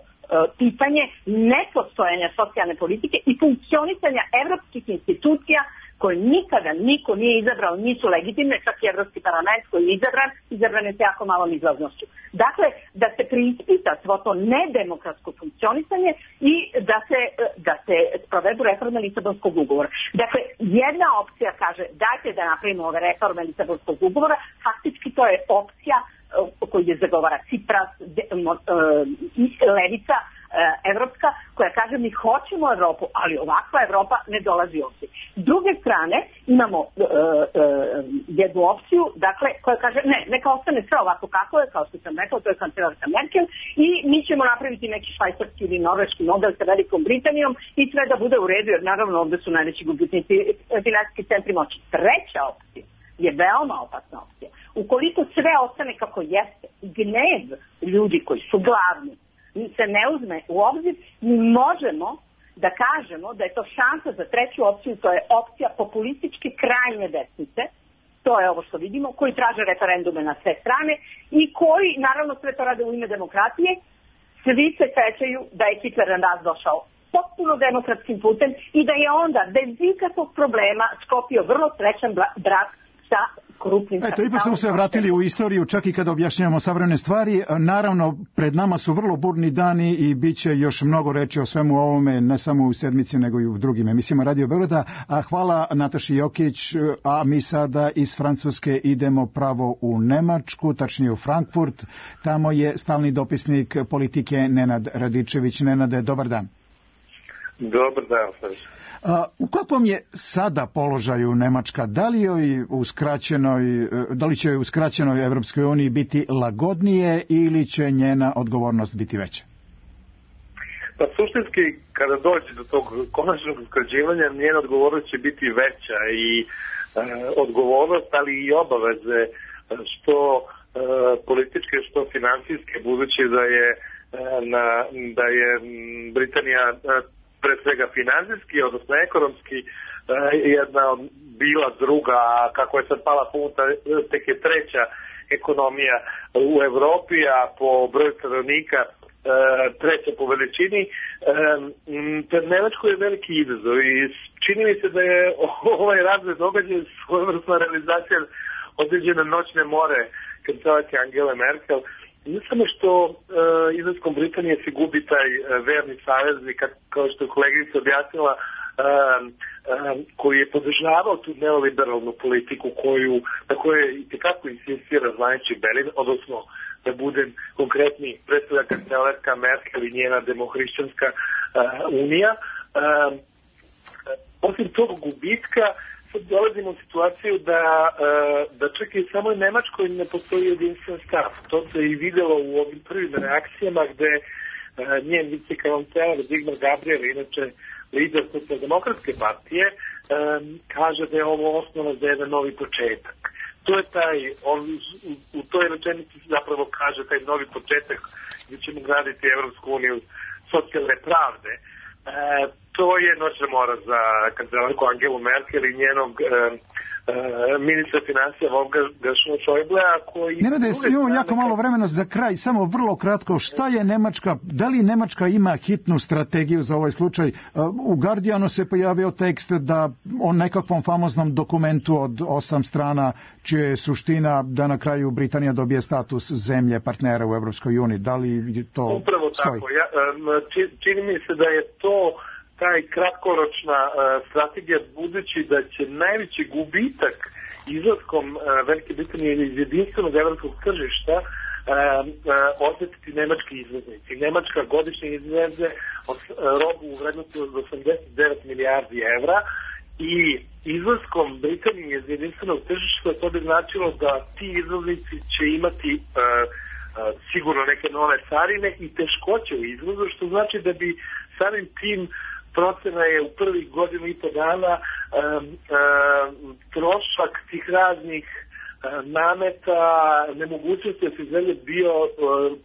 pitanje nepostojanja socijalne politike i funkcionisanja evropskih institucija koje nikada niko nije izabrao, nisu legitimne, čak i Evropski parlament koji je izabran je sa jako malom izlaznošću. Dakle, da se preispita svo to nedemokratsko funkcionisanje i da se sprovedu reforme Lisabonskog ugovora. Dakle, jedna opcija kaže dajte da napravimo ove reforme Lisabonskog ugovora, faktički to je opcija koju je zagovara Cipras, levica evropska, koja kaže mi hoćemo Evropu, ali ovakva Evropa ne dolazi ovdje. S druge strane imamo jednu opciju, dakle, koja kaže neka ostane sve ovako kako je, kao što sam rekao, to je kancelarka Merkel, i mi ćemo napraviti neki švajcarski ili norveški model sa Velikom Britanijom i sve da bude u redu, jer naravno ovdje su najveći gubitnici finansijski centri moći. Treća opcija je veoma opasna opcija. Ukoliko sve ostane kako jeste, gnev ljudi koji su glavni se ne uzme u obzir, mi možemo da kažemo da je to šansa za treću opciju, to je opcija populističke krajnje desnice, to je ovo što vidimo, koji traže referendume na sve strane i koji, naravno, sve to rade u ime demokratije. Svi se sećaju da je Hitler došao potpuno demokratskim putem i da je onda bez ikakvog problema sklopio vrlo srećan brak sa korupnim kapitalom. Ipak smo se vratili u istoriju, čak i kada objašnjavamo savremene stvari. Naravno, pred nama su vrlo burni dani i bit će još mnogo reći o svemu ovome, ne samo u sedmici, nego i u drugim emisijama Radio Beograda. Hvala Nataši Jokić, a mi sada iz Francuske idemo pravo u Nemačku, tačnije u Frankfurt. Tamo je stalni dopisnik politike Nenad Radičević. Nenade, dobar dan. Dobar dan, u kakvom je sada položaju Nemačka? Da li će joj u skraćenoj Evropskoj uniji biti lagodnije ili će njena odgovornost biti veća? Pa suštinski, kada dođe do tog konačnog usklađivanja, njena odgovornost će biti veća i odgovornost, ali i obaveze, što političke, što finansijske, budući da je Britanija pre svega finansijski, odnosno ekonomski, jedna bila druga, kako je sad pala funta, tek je treća ekonomija u Evropi, a po broju stanovnika treća po veličini. Pred Nemačkoj je veliki izazov i čini mi se da je ovaj razvoj događaja svojevrsna realizacija određene noćne more kancelarke Angele Merkel. Ne samo što izlaskom Britanije se gubi taj verni saveznik, kao što je kolegica objasnila, koji je podržavao tu neoliberalnu politiku na kojoj i tekako insistira zvanični Berlin, odnosno da budem konkretni, predstavlja kancelarka Merkel i njena demohrišćanska unija. Osim tog gubitka, dolazimo u situaciju da čak i samo u Nemačkoj ne postoji jedinstven stav. To se i videlo u ovim prvim reakcijama gde njen vicekancelar Sigmar Gabriel, inače lider Socijaldemokratske partije, kaže da je ovo osnova za jedan novi početak. To je u toj rečenici zapravo kaže taj novi početak gdje ćemo graditi Evropsku uniju socijalne pravde. to je noćna mora za kancelarku Angelu Merkel i njenog ministra financija Wolfganga Schäublea koji... Nenade, imamo jako malo vremena za kraj, samo vrlo kratko, šta je Nemačka, da li Nemačka ima hitnu strategiju za ovaj slučaj? U Guardianu se pojavio tekst da o nekakvom famoznom dokumentu od 8 strana, čija je suština da na kraju Britanija dobije status zemlje partnera u Evropskoj uniji. Da li to upravo stoji? Tako. Čini mi se da je to taj kratkoročna strategija, budući da će najveći gubitak izlaskom Velike Britanije iz jedinstvenog evropskog tržišta osjetiti nemački izvoznici. Nemačka godišnje izveze robu u vrednosti od 89 milijardi evra i izlaskom Britanije iz jedinstvenog tržišta to bi značilo da ti izvoznici će imati sigurno neke nove carine i teškoće u izvozu, što znači da bi samim tim procena je u prvih godinu i po dana trošak tih raznih nameta, nemogućnosti da se zemlje bio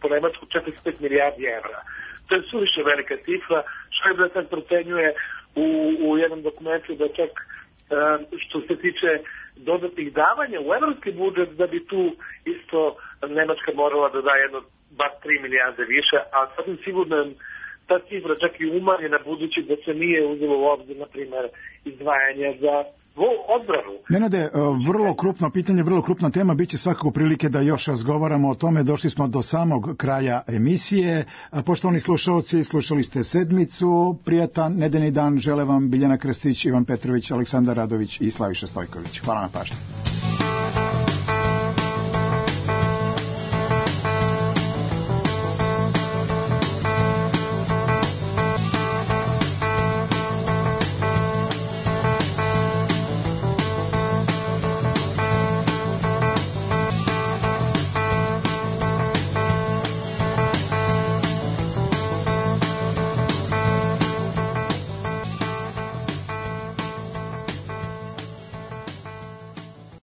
po Nemačku 45 milijardi evra. To je suviše velika cifra. Schäuble sad procenjuje u jednom dokumentu da čak što se tiče dodatnih davanja u evropski budžet, da bi tu isto Nemačka morala da da jedno bar 3 milijarde više, a sasvim sigurno ta cifra čak i umanjena budući da se nije uzelo u obzir, na primjer, izdvajanja za odbranu. Nenade, vrlo krupno pitanje, vrlo krupna tema, bit će svakako prilike da još razgovaramo o tome. Došli smo do samog kraja emisije. Poštovani slušalci, slušali ste Sedmicu. Prijatan nedeljni dan žele vam Biljana Krstić, Ivan Petrović, Aleksandar Radović i Slaviša Stojković. Hvala na pažnji.